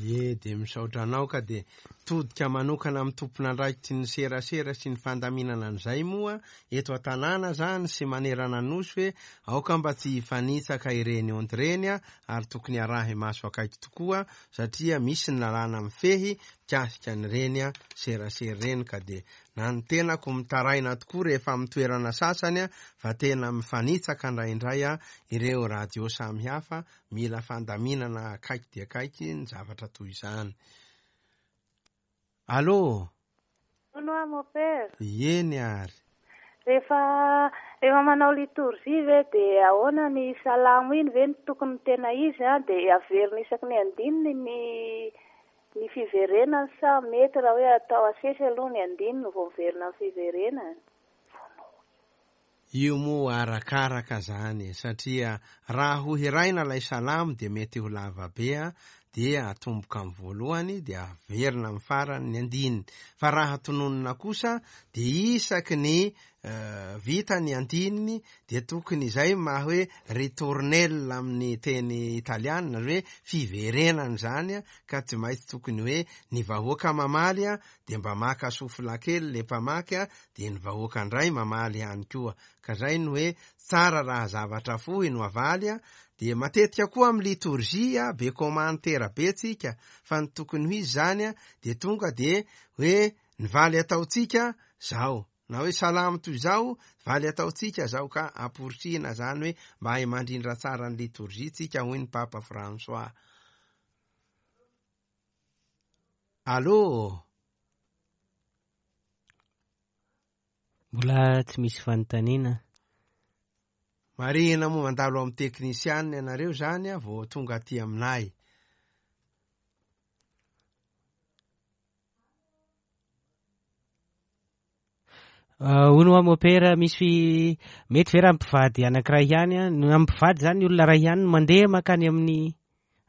Ie, dia misaotra anao ka dia todika manokana amin'ny tompon'andraikitry ny serasera sy ny fandaminana an'izay moa eto an-tanàna zany sy manerana nosy hoe aoka mba tsy hifanitsaka ireny ondy ireny a, ary tokony arahy maso akaiky tokoa satria misy ny lalàna mifehy mikasika an'ireny a serasera ireny, ka dia na ny tenako mitaraina tokoa rehefa amin'ny toerana sasany a fa tena mifanitsaka indraindray a ireo radio samihafa, mila fandaminana akaiky dia akaiky ny zavatra toy izany. Allô? Hono aho, mon père. Eny ary. Rehefa rehefa manao litorjia ve dia ahoana ny salamo iny ve no tokony tena izy a, dia averina isaky ny andininy ny ny fiverenany sa mety raha hoe atao asesy aloha ny andininy vao miverina amin'ny fiverenany? Io moa arakaraka zany, satria raha ho hiraina ilay salamo dia mety ho lava be a, dia atomboka amin'ny voalohany dia averina amin'ny farany ny andininy, fa raha tononina kosa dia isaky ny uh, vita ny andininy dia tokony izay maha hoe ritournelle amin'ny teny italiana, hoe fiverenana zany a, ka tsy maintsy tokony hoe ny vahoaka mamaly a dia mba maka sofla kely le mpamaky a, dia ny vahoaka indray mamaly ihany koa, ka zay no hoe tsara raha zavatra fohy no avaly a. Dia matetika koa amin'ny litorjia be komantera be tsika, fa ny tokony ho izy zany a dia tonga dia hoe ny valy ataontsika zao, na hoe salamo toy izao valy ataontsika zao, ka amporisihina zany hoe mba hahay mandrindra tsara ny litorjia tsika, hoy ny Papa François. Allô? Mbola tsy misy fanontaniana. Marihina moa mandalo amin'ny teknisianina ianareo zany a vao tonga aty aminay. Hono aho mopera, misy mety ve raha mpivady anankiray ihany a? Ny mpivady zany ny olona iray ihany no mandeha mankany amin'ny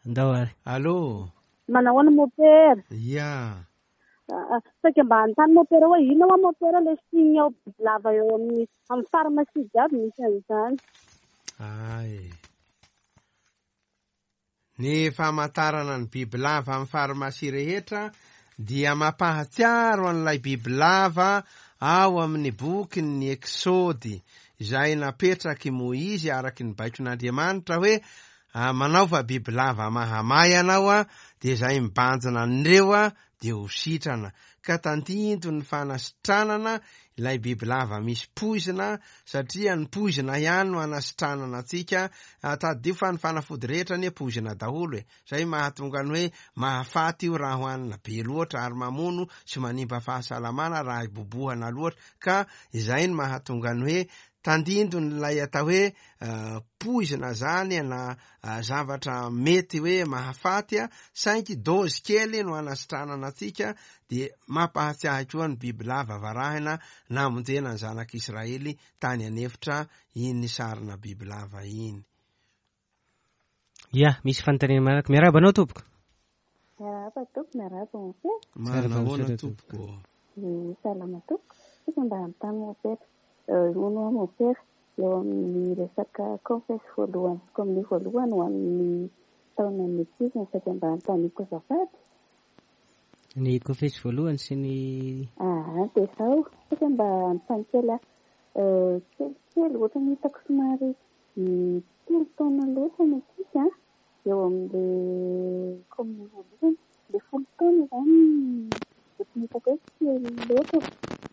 andao ary. Allô? Manahoana mopera? Ia. Saika mba hanontany mopera hoe inona hoa mopera le signe ao lava eo amin'ny amin'ny pharmacie jiaby misy an'izany. Ay. Ny famantarana ny bibilava amin'ny farmasia rehetra dia mampahatsiaro an'ilay bibilava ao amin'ny bokin'ny Eksody izay napetraky Moizy araky ny baikon'Andriamanitra hoe manaova bibilava mahamay ianao a, dia izay mibanjina an'ireo a dia ho sitrana, ka tandindo ny fanasitranana ilay bibilava misy poizina, satria ny poizina ihany no anasitranana antsika. Tadidio fa ny fanafody rehetra anie poizina daholo e, zay mahatonga ny hoe mahafaty io raha hohanina be loatra, ary mamono sy manimba fahasalamana raha ibobohana loatra, ka izay no mahatonga ny hoe tandindon'ilay atao hoe uh, poizina zany na uh, zavatra mety hoe mahafaty a, saingy dozy kely no anasitranana antsika. Dia mampahatsiahy koa ny bibilava varahina namonjena ny zanak'Israely tany an'efitra iny sarina bibilava iny. Ia, misy fanontaniana manaraka. Miarahaba anao tompoko. Miarahaba tompoko, miarahaba mopera. Manahoana tompoko? Salama tompoko. Saika mba hanontany mopera. Hono aho mopera, eo amin'ny resaka confesse voalohany sy communion voalohany ho an'ny taonan'ny ankizy no saika mba hanontaniako azafady. Ny confesse voalohany sy ny Ah, dia izao, saika mba hanontany kely aho. Kelikely ohatra ny hitako somary telo taona loatra ny ankizy a, eo amin'ilay communion voalohany. Ilay folo taona izany ohatry ny hitako hoe kely loatra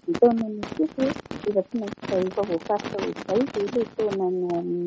ny taonan'ny ankizy hoe efa tsy maintsy izay efa voafaritra ho izay ve ilay taonany ho an'ny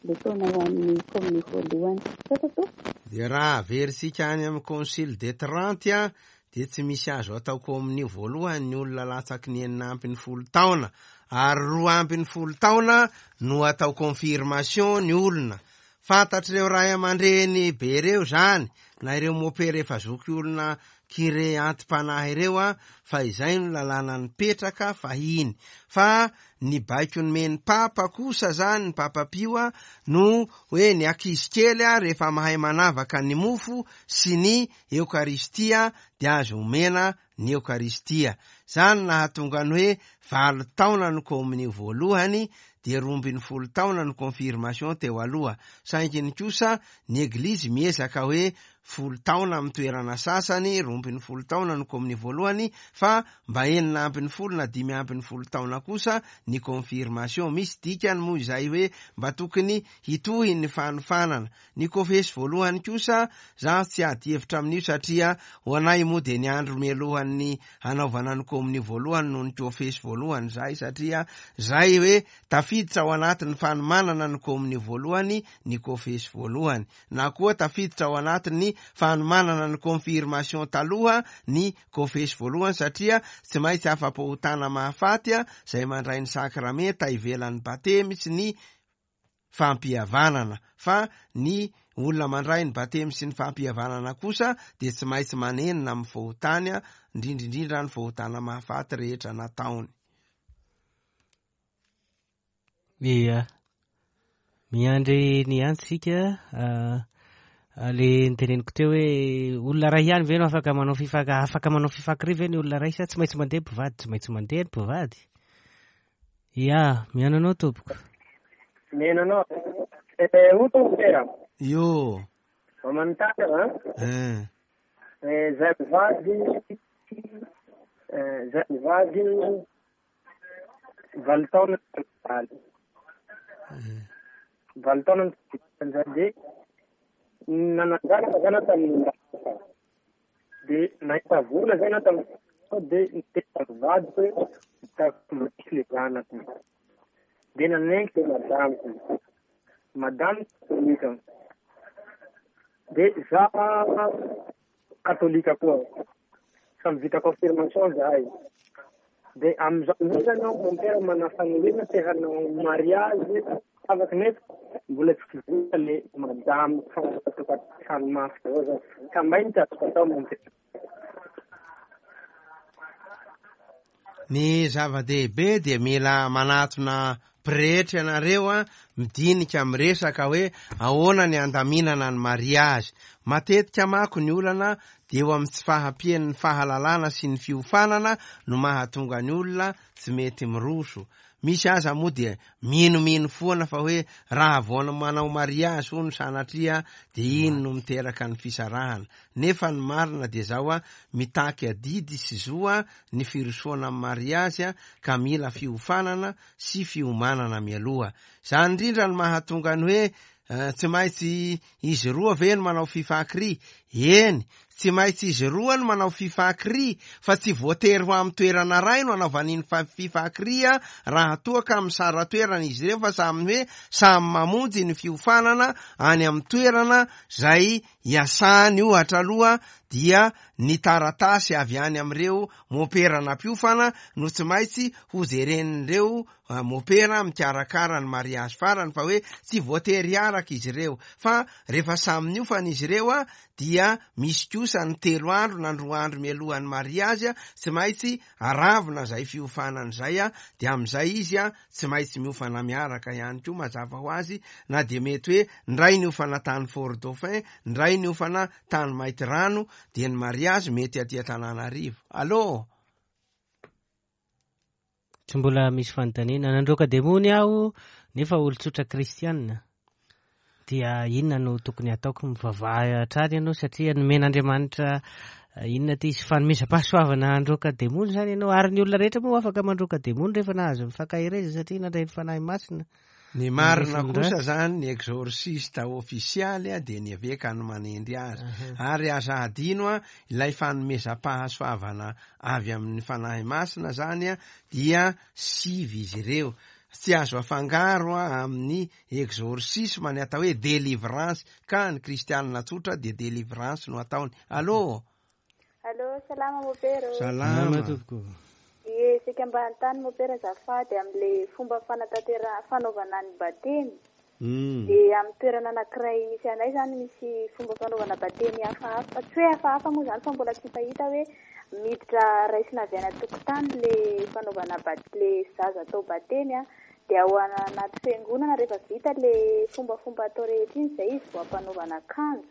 ilay taona ho an'ny communion voalohany. Misaotra tompoko. Dia raha averitsika any amin'ny Concile de Trente a, dia tsy misy azo atao komonio voalohany ny olona latsaky ny enina ambin'ny folo taona, ary roa ambin'ny folo taona no atao confirmation ny olona. Fantatr'ireo ray aman-dreny be ireo zany, na ireo mopera efa zoky olona kire anti-panahy ireo a, fa izay no lalàna nipetraka fahiny. Fa ny baiko nomen'ny papa kosa zany, ny papa Pio a, no hoe ny ankizy kely a rehefa mahay manavaka ny mofo sy ny eokaristia dia azo omena ny eokaristia. Zany nahatonga ny hoe valo taona no komonio voalohany, dia roa ambin'ny folo taona no confirmation teo aloha. Saingy ny kosa ny eglizy miezaka hoe folo taona amin'ny toerana sasany, roa ambin'ny folo taona no komonio voalohany, fa mba enina ambin'ny folo na dimy ambin'ny folo taona kosa ny confirmation. Misy dikany moa izay hoe mba tokony hitohy ny fanofanana. Ny kofesy voalohany kosa za tsy ady hevitra amin'io, satria ho anay moa dia ny andro mialohan'ny hanaovana ny komonio voalohany no ny kofesy voalohany zay, satria zay hoe tafiditra ao anatin'ny fanomanana ny komonio voalohany ny kofesy voalohany, na koa tafiditra ao anatin'ny fanomanana ny confirmation taloha ny kofesy voalohany, satria tsy maintsy afa-pahotana mahafaty a zay mandray ny sakramenta ivelan'ny batemy sy ny fampihavanana. Fa ny olona mandray ny batemy sy ny fampihavanana kosa dia tsy maintsy manenina amin'ny fahotany a, indrindrindrindra ny fahotana mahafaty rehetra nataony. Ia, miandry ny antsika. Le niteneniko teo hoe olona ray ihany ve no afaka manao fifaka, afaka manao fifakiri ve ny olona ray, sa tsy maintsy mandeha mpivady? Tsy maintsy mandeha ny mpivady. Ia, mihaino anao tompoko. Mihaino anao. Eh, o tompoko. Io. Manontany a. Eh. Eh, zay mivady, eh, zay mivady valo taona valo. Valo taona zay dia nananjanaka zany tamin'ny dia nahita vola zany tamin'ny dia niteny vadiko hoe hitako le zanako. Dia nanenky le madamiko. Madame katolika. Dia za katolika koa. Samy vita confirmation zahay. Dia amin'izao indray zany aho mon père manana faniriana te hanao mariage afaka, nefa mbola tsy vita le madame fa mafy daholo zany. Ka mba ino ty azoko atao mon père? Ny zava-dehibe dia mila manatona pretra ianareo a, midinika miresaka hoe ahoana ny andaminana ny mariage. Matetika manko ny olana dia eo amin'ny tsy fahampian'ny fahalalana sy ny fiofanana no mahatonga ny olona tsy mety miroso. Misy aza moa dia minomino foana fa hoe raha vao manao mariage hono sanatria dia iny no miteraka ny fisarahana. Nefa ny marina dia zao a, mitaky adidy sy zo a ny firosoana amin'ny mariage a, ka mila fiofanana sy fiomanana mialoha. Zany indrindra no mahatonga ny hoe tsy maintsy izy roa ve no manao fifakiri? Eny, tsy maintsy izy roa no manao fifakiri, fa tsy voatery ho amin'ny toerana iray no anaovan'iny fifakiri a, raha toa ka misara-toerana izy ireo, fa samy hoe samy mamonjy ny fiofanana any amin'ny toerana zay iasany. Ohatra aloha dia ny taratasy avy any amin'ireo mopera nampiofana no tsy maintsy ho jeren'ireo mopera mikarakara ny mariage farany, fa hoe tsy voatery hiaraka izy ireo. Fa rehefa samy niofana izy ireo a, dia misy kosa ny telo andro na roa andro mialohan'ny mariage a, tsy maintsy aravina zay fiofanana zay a, dia amin'izay izy a tsy maintsy miofana miaraka ihany koa, mazava ho azy. Na dia mety hoe ndray niofana tany Fort Dauphin, ndray niofana tany Maintirano, dia ny mariage mety aty Antananarivo. Allô? Tsy mbola misy fanontaniana. Nandroaka demony aho nefa olon-tsotra kristianina. Dia inona no tokony ataoko? Mivavaha hatrany ianao, satria nomen'Andriamanitra inona ty izy fanomezam-pahasoavana handroaka demony zany ianao. Ary ny olona rehetra moa afaka mandroaka demony rehefa nahazo ny fankahereza, satria nandray ny Fanahy Masina. Ny marina kosa zany, ny exorciste ofisialy a dia ny eveka no manendry azy. Ary aza adino a, ilay fanomezam-pahasoavana avy amin'ny Fanahy Masina zany a dia sivy izy ireo. Tsy azo afangaro a amin'ny exorcisme ny atao hoe délivrance, ka ny kristianina tsotra dia délivrance no ataony. Allô? Allô, salama mopera. Salama tompoko. Ie, saika mba hanontany mopera azafady amin'ilay fomba fanatanteraha fanaovana ny batemy. Mm. Dia amin'ny toerana anankiray misy anay izany misy fomba fanaovana batemy hafahafa, tsy hoe hafahafa moa izany fa mbola tsy fahita hoe miditra raisina avy any an-tokotany ilay fanaovana bat- ilay zaza atao batemy a. Dia ao anaty fiangonana rehefa vita ilay fombafomba atao rehetra iny izay izy vao ampanaovana akanjo.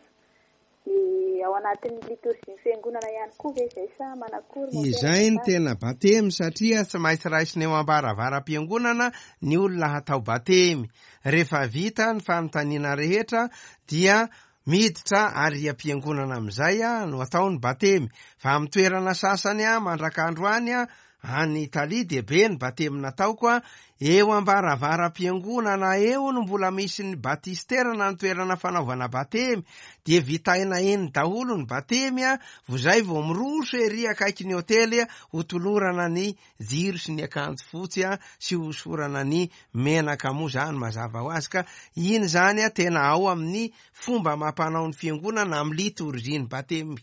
Dia ao anatin'ny litorzin'ny fiangonana ihany koa ve izay sa manakory mopera? Izay ny tena batemy satria tsy maintsy raisina eo ambaravaram-piangonana ny olona hatao batemy. Rehefa vita ny fanontaniana rehetra dia miditra ary am-piangonana amin'izay a no atao ny batemy. Fa amin'ny toerana sasany a mandrak'androany a any Italia dia be ny batemy nataoko a eo ambaravaram-piangonana eo no mbola misy ny batistera na ny toerana fanaovana batemy, dia vitaina eny daholo ny batemy a vao izay vao miroso ery akaiky ny hotely a ho tolorana ny jiro sy ny akanjo fotsy a sy hosorana ny menaka moa zany mazava ho azy. Ka iny zany a tena ao amin'ny fomba mampanao ny fiangonana amin'ny litorzin'ny batemy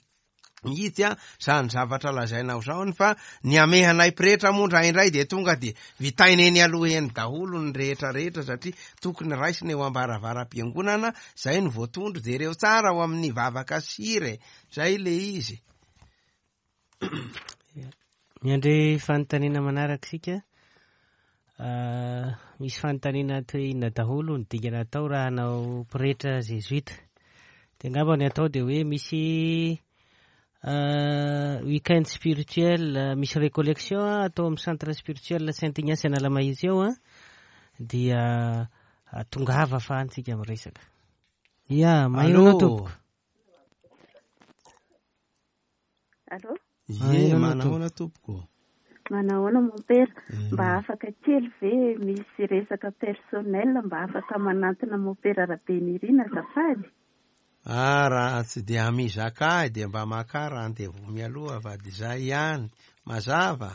mihitsy a zany zavatra lazainao zao, fa ny amehanay pretra moa indraindray dia tonga dia vitaina eny aloha eny daholo ny rehetra rehetra satria tokony raisina eo ambaravaram-piangonana zay no voatondro. Jereo tsara ao amin'ny vavaka sire zay le izy. Miandry fanontaniana manaraka isika. Uh, misy fanontaniana toy inona daholo ny dingana atao raha hanao pretra jesuita. Dia angamba ny atao dia hoe misy Uh, week-end spirituel, uh, misy récollection atao amin'ny centre spirituel Saint Ignace Analamahitsy eo a, dia uh, tongava fa antsika miresaka. Ia, maheno anao tompoko. Allô? Ie, manahoana tompoko? Manahoana mompera? Mba afaka kely ve misy resaka personnel mba afaka manantona mompera Rabenirina azafady? Ah, raha tsy dia mizaka ahy dia mba maka rendez-vous mialoha fa dia zay ihany mazava.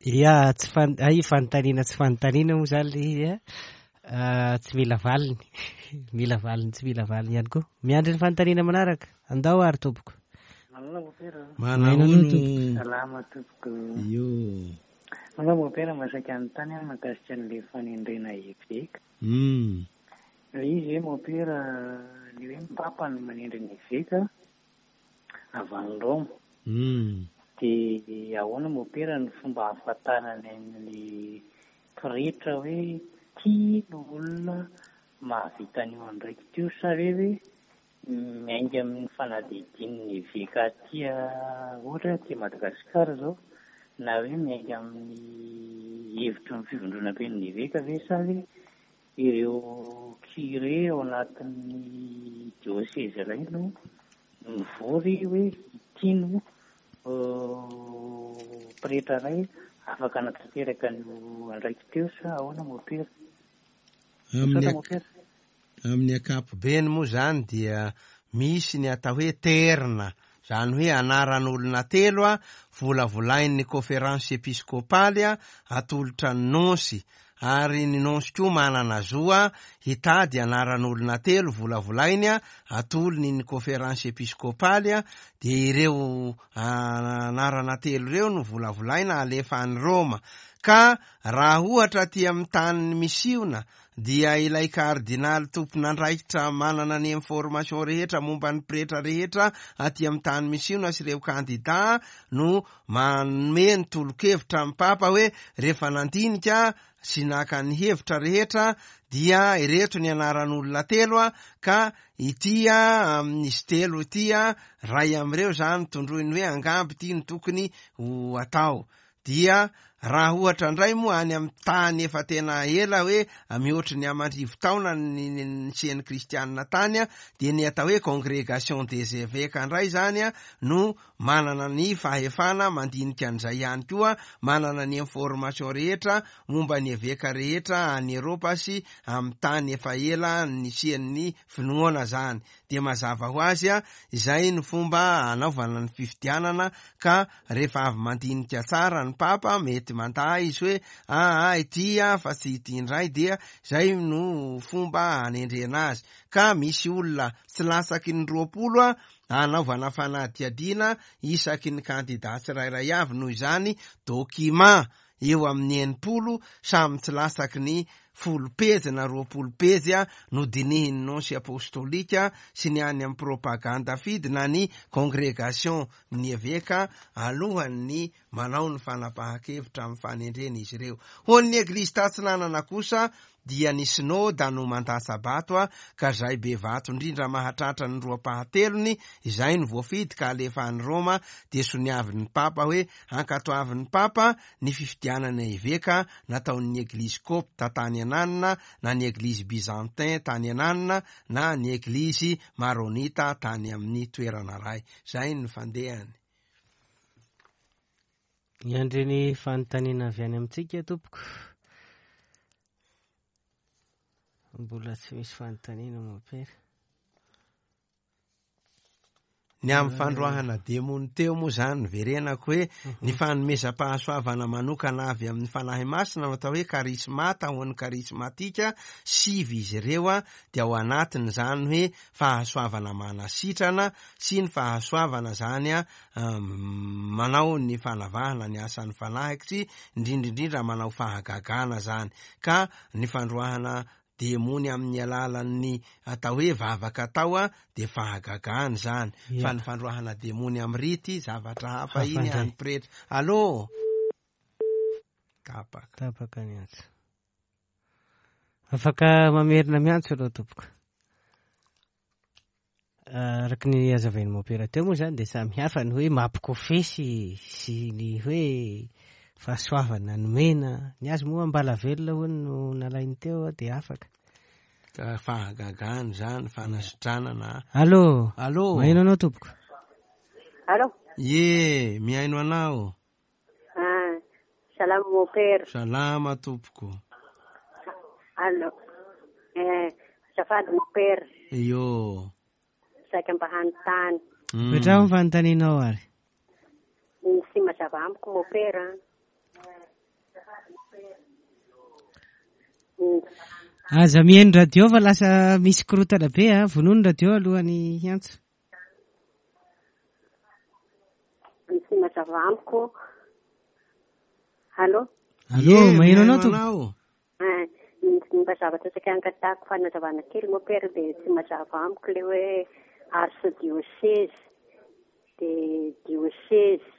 Ia, tsy fan- ay fanontaniana tsy fanontaniana moa zany le izy a, tsy mila valiny, mila valiny tsy mila valiny ihany koa. Miandry ny fanontaniana manaraka. Andao ary tompoko. Manana mopera. Manahoana tompoko? Salama tompoko. Io. Manao mopera masaika anontany aho mahakasika an'ilay fanendrena eveka. Mm. Ilay izy hoe mopera, ny hoe ny papa no manendry ny eveka avy any Roma. Mm. Dia ahoana mopera ny fomba ahafantarana an'ilay pretra hoe ity no olona mahavita an'io andraikitra io, sa ve hoe miainga amin'ny fanadihadian'ny eveka aty ohatra hoe aty Madagasikara izao, na hoe miainga amin'ny hevitry ny fivondronam-pen'ny eveka ve, sa hoe ireo curé ao anatin'ny diocèse iray no mivory hoe ity no pretra iray afaka anatanteraka an'io andraikitra io, sa ahoana mopera? Amin'ny Mopera. amin'ny ankapobeny moa zany dia misy ny atao hoe terna, zany hoe anaran'olona telo a volavolain'ny conférence episkopaly a atolotra ny nonsy, ary ny nonsy koa manana zo a hitady anaran'olona telo volavolainy a atolony ny conférence episkopaly a, dia ireo anarana telo ireo no volavolaina alefa any Roma. Ka raha ohatra aty amin'ny tany misiona dia ilay kardinaly tompon'andraikitra manana ny information rehetra momba ny pretra rehetra aty amin'ny tany misiona sy ireo kandida no manome ny tolo-kevitra amin'ny papa hoe rehefa nandinika sy naka ny hevitra rehetra dia ireto ny anaran'olona telo a, ka ity a amin'izy telo ity a ray amin'ireo zany tondroiny hoe angamba ity no tokony ho atao. Dia raha ohatra indray moa any amin'ny tany efa tena ela hoe mihoatry ny aman-drivo taona ny nisian'ny kristianina tany a, dia ny atao hoe congrégation des évêques indray zany a no manana ny fahefana mandinika an'izay ihany koa, manana ny information rehetra momba ny eveka rehetra any Eropa sy amin'ny tany efa ela nisian'ny finoana zany. Dia mazava ho azy a izay no fomba anaovana ny fifidianana, ka rehefa avy mandinika tsara ny papa mety mety mandà izy hoe aa ity a fa tsy ity indray, dia zay no fomba anendrena azy. Ka misy olona tsy latsaky ny roapolo a anaovana fanadihadiana isaky ny kandida tsirairay avy. Noho izany document eo amin'ny enimpolo samy tsy latsaky ny folo pejy na roapolo pejy a no dinihin'ny nonce apostolika sy ny any amin'ny propaganda fide na ny congrégation ny eveka alohan'ny manao ny fanapahan-kevitra amin'ny fanendrena izy ireo. Ho an'ny eglizy tatsinanana kosa dia ny synoda no mandatsa-bato a ka zay be vato indrindra mahatratra ny roa-pahatelony izay no voafidy ka alefa any Roma, dia soniavin'ny papa hoe ankatoavin'ny papa ny fifidianana eveka nataon'ny eglizy kopta tany ananina na ny eglizy byzantin tany ananina na ny eglizy maronita tany amin'ny toerana ray. Zay ny fandehany. Miandry ny fanontaniana avy any amintsika tompoko. Mbola tsy misy fanontaniana mompera. Ny amin'ny fandroahana demony teo moa zany verenako hoe ny fanomezam-pahasoavana manokana avy amin'ny Fanahy Masina no atao hoe karismata ho an'ny karismatika sivy izy ireo a dia ao anatiny zany hoe fahasoavana manasitrana sy ny fahasoavana zany a manao ny fanavahana ny asan'ny fanahikitsy, indrindra indrindra manao fahagagana zany. Ka ny fandroahana demony amin'ny alalan'ny atao hoe vavaka atao a dia fahagagana zany. Fa ny fandroahana demony amin'ny rity zavatra hafa iny any pretra. Allô? Tapaka. Tapaka ny antso. Afaka mamerina miantso aloha tompoko. Araka ny azavain'ny mompera teo moa zany dia samy hafa ny hoe mampikofesy sy ny hoe fahasoavana nomena. Ny azy moa ambalavelona hono no nalainy teo dia afaka. Ka fahagagana zany, fanasitranana. Allô? Allô? Mihaino anao tompoko. Allô? Ye, mihaino anao. Ah, salama mompera. Salama tompoko. Allô. Eh, azafady mompera. Io. Saika mba hanontany. Petraho ny fanontanianao ary. Tsy mazava amiko mompera. Aza mihaino radio fa lasa misy korotana be a, vonono radio alohan'ny hiantso. Tsy mazava amiko. Allô? Allô, maheno anao tompoko. Mba zavatra saika angatahako fanazavana kely mompera dia tsy mazava amiko le hoe archidiocèse dia diocèse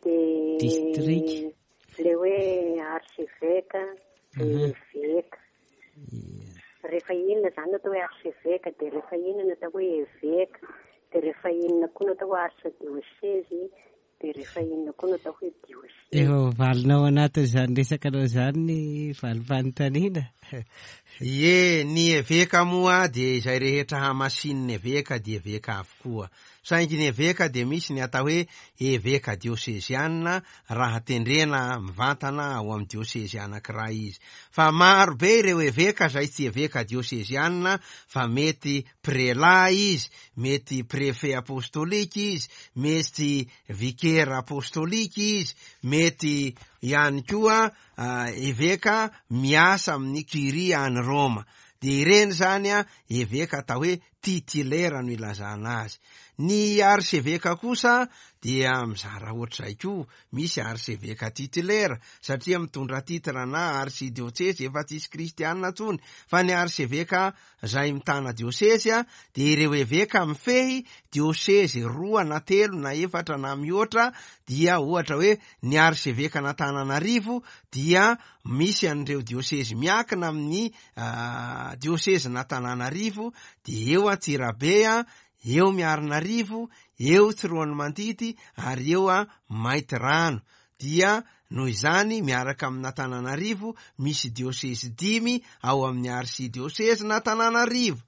dia district le hoe archevêque dia évêque. Rehefa inona zany no atao hoe archevêque, dia rehefa inona no atao hoe évêque, dia rehefa inona koa no atao hoe archidiocèse, dia rehefa inona koa no atao hoe diocèse. Efa valinao anatin'izany resaka anao izany ny valim-panontaniana. Ie, ny eveka moa dia izay rehetra hamasin'ny eveka dia eveka avokoa. Saingy ny eveka dia misy ny atao hoe eveka diosezianina raha tendrena mivantana ao amin'ny diosezy anankiray izy. Fa maro be ireo eveka izay tsy eveka diosezianina fa mety prela izy, mety préfet apostolika izy, mety vikera apostolika izy, mety ihany koa eveka miasa amin'ny curie any Roma. Dia ireny zany a eveka atao hoe titulaire no ilazana azy. Ny archevêque kosa dia mizara ohatr'izay koa, misy archevêque titulaire satria mitondra titre na archidiocèse efa tsisy kristianina intsony, fa ny archevêque izay mitana diocèse a dia ireo eveka mifehy diocèse roa na telo na efatra na mihoatra. Dia ohatra hoe ny archevêque n'Antananarivo dia misy an'ireo diocèse miakina amin'ny diocèse n'Antananarivo, dia eo Antsirabe a, eo Miarinarivo, eo Tsiroanomandidy ary eo a Maintirano. Dia noho izany miaraka amin'Antananarivo misy diocèse dimy ao amin'ny archidiocèse n'Antananarivo.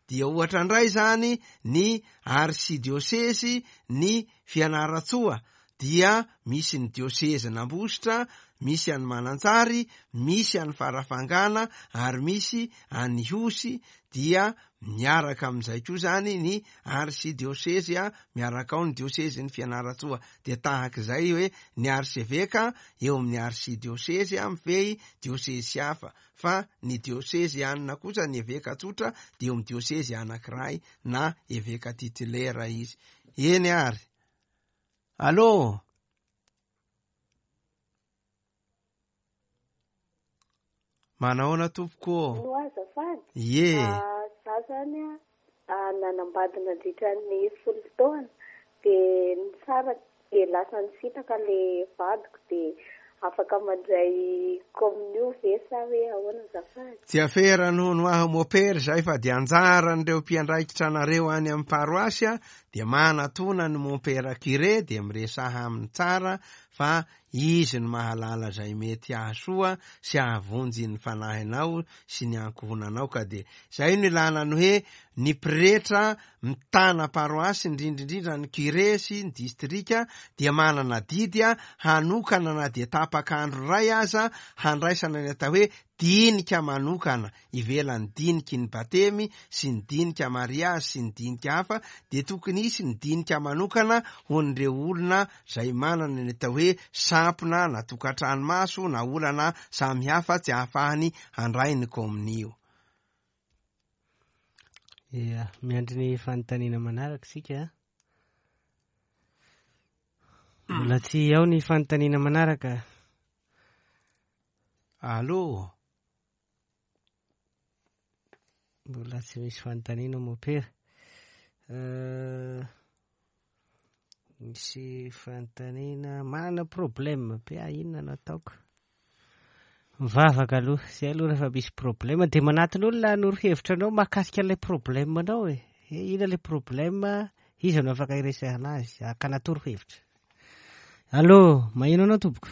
Dia ohatra indray zany ny archidiocèse ny Fianarantsoa dia misy ny diocèse n'Ambositra, misy any Mananjary, misy any Farafangana ary misy any Ihosy. Dia miaraka amin'izay koa zany ny arsidiosezy a, miaraka ao ny diosezy ny Fianarantsoa. Dia tahak'izay hoe ny arseveka eo amin'ny arsidiosezy a mifehy diosezy hafa, fa ny diosezy anina kosa ny eveka tsotra dia eo amin'ny diosezy anankiray na eveka titulaire izy. Eny ary. Allô? Manahoana tompoko? No azafady. Ie. Za zany a nanambady nandritra ny folo taona dia nisaraka dia lasa nisintaka le vadiko dia afaka mandray kominio ve sa hoe ahoana azafady? Tsy afera noho no aho mopera zay fa dia anjaran'ireo mpiandraikitra anareo any amin'ny paroasy dia manatona ny mompera curé dia miresaha aminy tsara fa izy no mahalala izay mety hahasoa sy hahavonjy ny fanahinao sy ny ankohonanao. Ka dia zay no ilana ny hoe ny pretra mitana paroasy, indrindrindrindra ny curé sy ny distrika dia manana didy hanokana na dia tapak'andro iray aza handraisana ny atao hoe dinika manokana ivelan'ny diniky ny batemy sy ny dinika mariazy sy ny dinika hafa, dia tokony hisy ny dinika manokana ho an'ireo olona izay manana ny atao hoe sampona na tokantrano maso na olana samihafa tsy ahafahany handray ny kominio. Ia, miandry ny fanontaniana manaraka isika. Mbola tsy ao ny fanontaniana manaraka. Allô? Mbola tsy misy fanontaniana mopera. Misy fanontaniana manana problème be, inona no ataoko? Mivavaka aloha, zay aloha rehefa misy problème dia manatona olona hanoro hevitra anao mahakasika ilay problème anao e. Inona ilay problème, iza no afaka iresahana azy, akanatoro hevitra. Allô, maheno anao tompoko?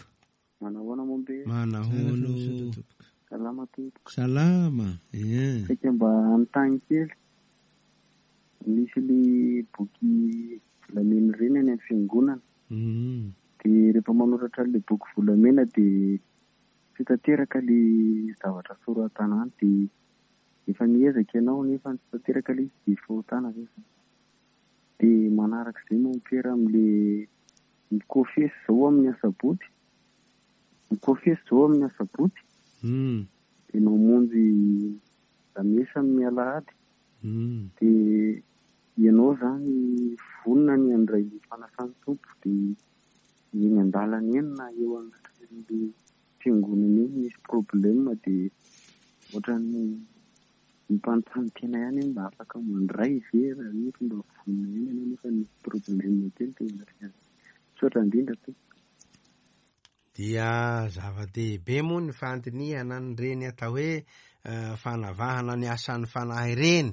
Manahoana mombe? Manahoana. Salama tompoko. Salama. Ie. Saika mba hanontany kely. Misy le boky volamena ireny any amin'ny fiangonana. Mm. Dia rehefa manoratra le boky volamena dia tsy tanteraka le zavatra soratana any, dia efa miezaka ianao nefa tsy tanteraka le izy dia fahotana ve zany? Dia manarak'izay mompera amin'le mikofesy zao amin'ny asabotsy. Mikofesy zao amin'ny asabotsy. Mm. Dia mamonjy lamesa amin'ny alahady. Mm. Dia ianao zany vonona ny handray ny fanasan'ny Tompo dia eny an-dalana eny na eo anatrehan'le fiangonana eny misy problème dia ohatran'ny mipanontany tena ihany hoe mba afaka mandray ve raha nefa mba vonona ihany ianao nefa misy problème kely teo anatrehany. Misaotra indrindra tompoko. Dia zava-dehibe moa ny fandinihana an'ireny atao hoe fanavahana ny asan'ny fanahy ireny,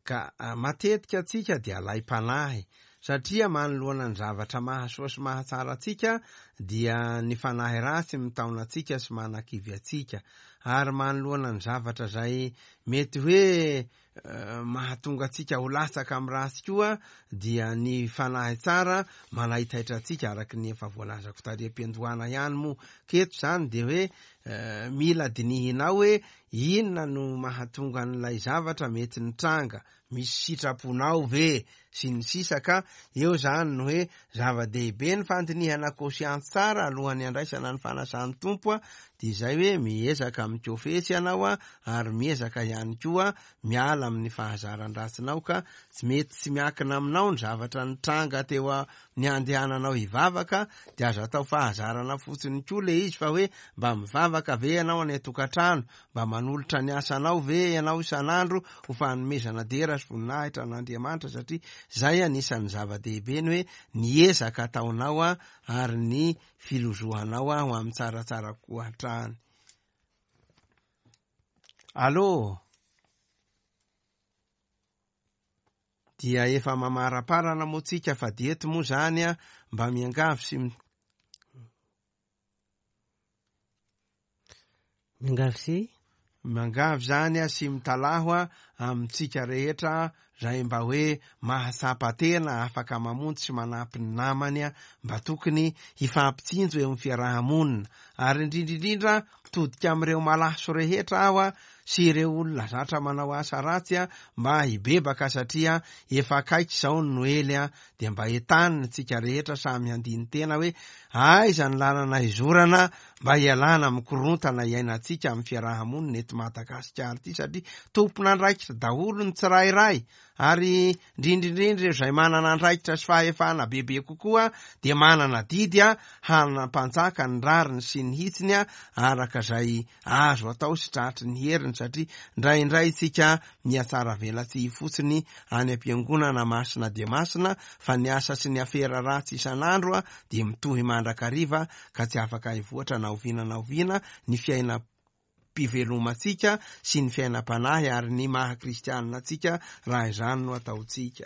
ka matetika antsika dia alaim-panahy satria manoloana ny zavatra mahasoa sy mahatsara antsika dia ny fanahy ratsy mitaona antsika sy manakivy antsika, ary manoloana ny zavatra izay mety hoe mahatonga antsika ho latsaka amin'ny ratsy koa dia ny fanahy tsara manaitaitra antsika, araka ny efa voalazako tary am-piandohana ihany moa. Keto zany dia hoe mila dinihinao hoe inona no mahatonga an'ilay zavatra mety nitranga, misy sitraponao ve sy ny sisa. Ka eo zany no hoe zava-dehibe ny fandinihana conscience tsara alohan'ny andraisana ny fanasan'ny Tompo a, dia izay hoe miezaka mikofesy ianao a, ary miezaka ihany koa miala amin'ny fahazaran-dratsinao, ka tsy mety tsy miankina aminao ny zavatra nitranga teo a ny andehananao hivavaka, dia aza atao fahazarana fotsiny koa le izy fa hoe mba mivavaka ve ianao any an-tokantrano, mba manolotra ny asanao ve ianao isan'andro ho fanomezana dera sy voninahitra an'Andriamanitra, satria zay anisan'ny zava-dehibe ny hoe ny ezaka ataonao a ary ny filozohanao a ho amin'ny tsaratsara kokoa hatrany. Allô? Dia efa mamaraparana moa tsika fa dia eto moa zany a mba miangavy sy miangavy sy miangavy zany a sy mitalaho a amintsika rehetra zay mba hoe mahatsapa tena afaka mamonjy sy manampy ny namany a, mba tokony hifampitsinjo eo amin'ny fiarahamonina, ary indrindrindrindra mitodika amin'ireo malaso rehetra aho a sy ireo olona zatra manao asa ratsy a mba hibebaka satria efa akaiky izao ny Noely a dia mba entanina tsika rehetra samy handini-tena hoe aiza ny lalana izorana mba hialana amin'ny korontana iainantsika amin'ny fiaraha-monina eto Madagasikara ity, satria tompon'andraikitra daholo ny tsirairay, ary indrindra ireo izay manana andraikitra sy fahefana bebe kokoa dia manana didy a hanampanjaka ny rariny sy ny hitsiny a araka izay azo atao sy tratry ny heriny, satria indraindray tsika mihatsara velatsihy fotsiny any am-piangonana masina dia masina, fa ny asa sy ny afera ratsy isan'andro a dia mitohy mandrakariva ka tsy afaka hivoatra na oviana na oviana ny fiainam-pivelomantsika sy ny fiainam-panahy ary ny maha kristianina antsika raha izany no ataontsika.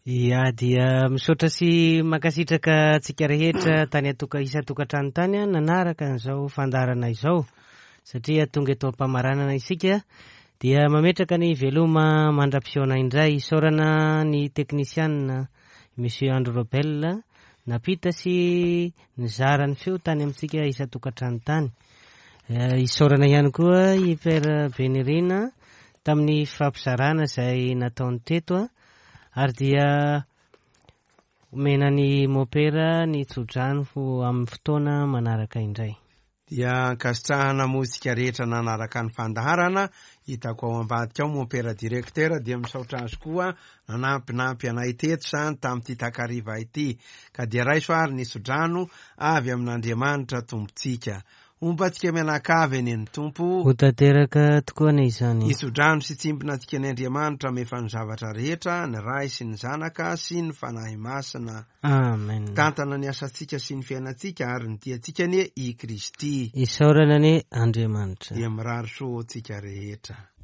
Ia, dia misaotra sy mankasitraka antsika rehetra tany atoka isan-tokantrano tany a nanaraka an'izao fandaharana izao, satria tonga eto am-pamaranana isika dia mametraka ny veloma mandra-pihaona indray. Isaorana ny teknisianina Monsieur Andro Robel nampita sy nizara ny feo tany amintsika isan-tokantrano tany. Isaorana ihany koa i Père Benirina tamin'ny fampizarana izay nataony teto a. Ary dia omena ny mopera ny tsodrano ho amin'ny fotoana manaraka indray. Dia ankasitrahana mozika rehetra nanaraka ny fandaharana. Hitako ao ambadika ao mompera directeur dia misaotra azy koa nanampinampy anay teto zany tamin'ity takariva ity. Ka dia raiso ary ny tsodrano avy amin'Andriamanitra Tompontsika. Homba antsika mianakavy anie ny Tompo. Ho tanteraka tokoa anie izany. Hitsodrano sy tsimbina antsika ny Andriamanitra mefa ny zavatra rehetra, ny Ray sy ny Zanaka sy ny Fanahy Masina. Amen. Tantana ny asantsika sy ny fiainantsika ary ny tiantsika anie i Kristy. Isaorana anie Andriamanitra. Dia mirary soa antsika rehetra.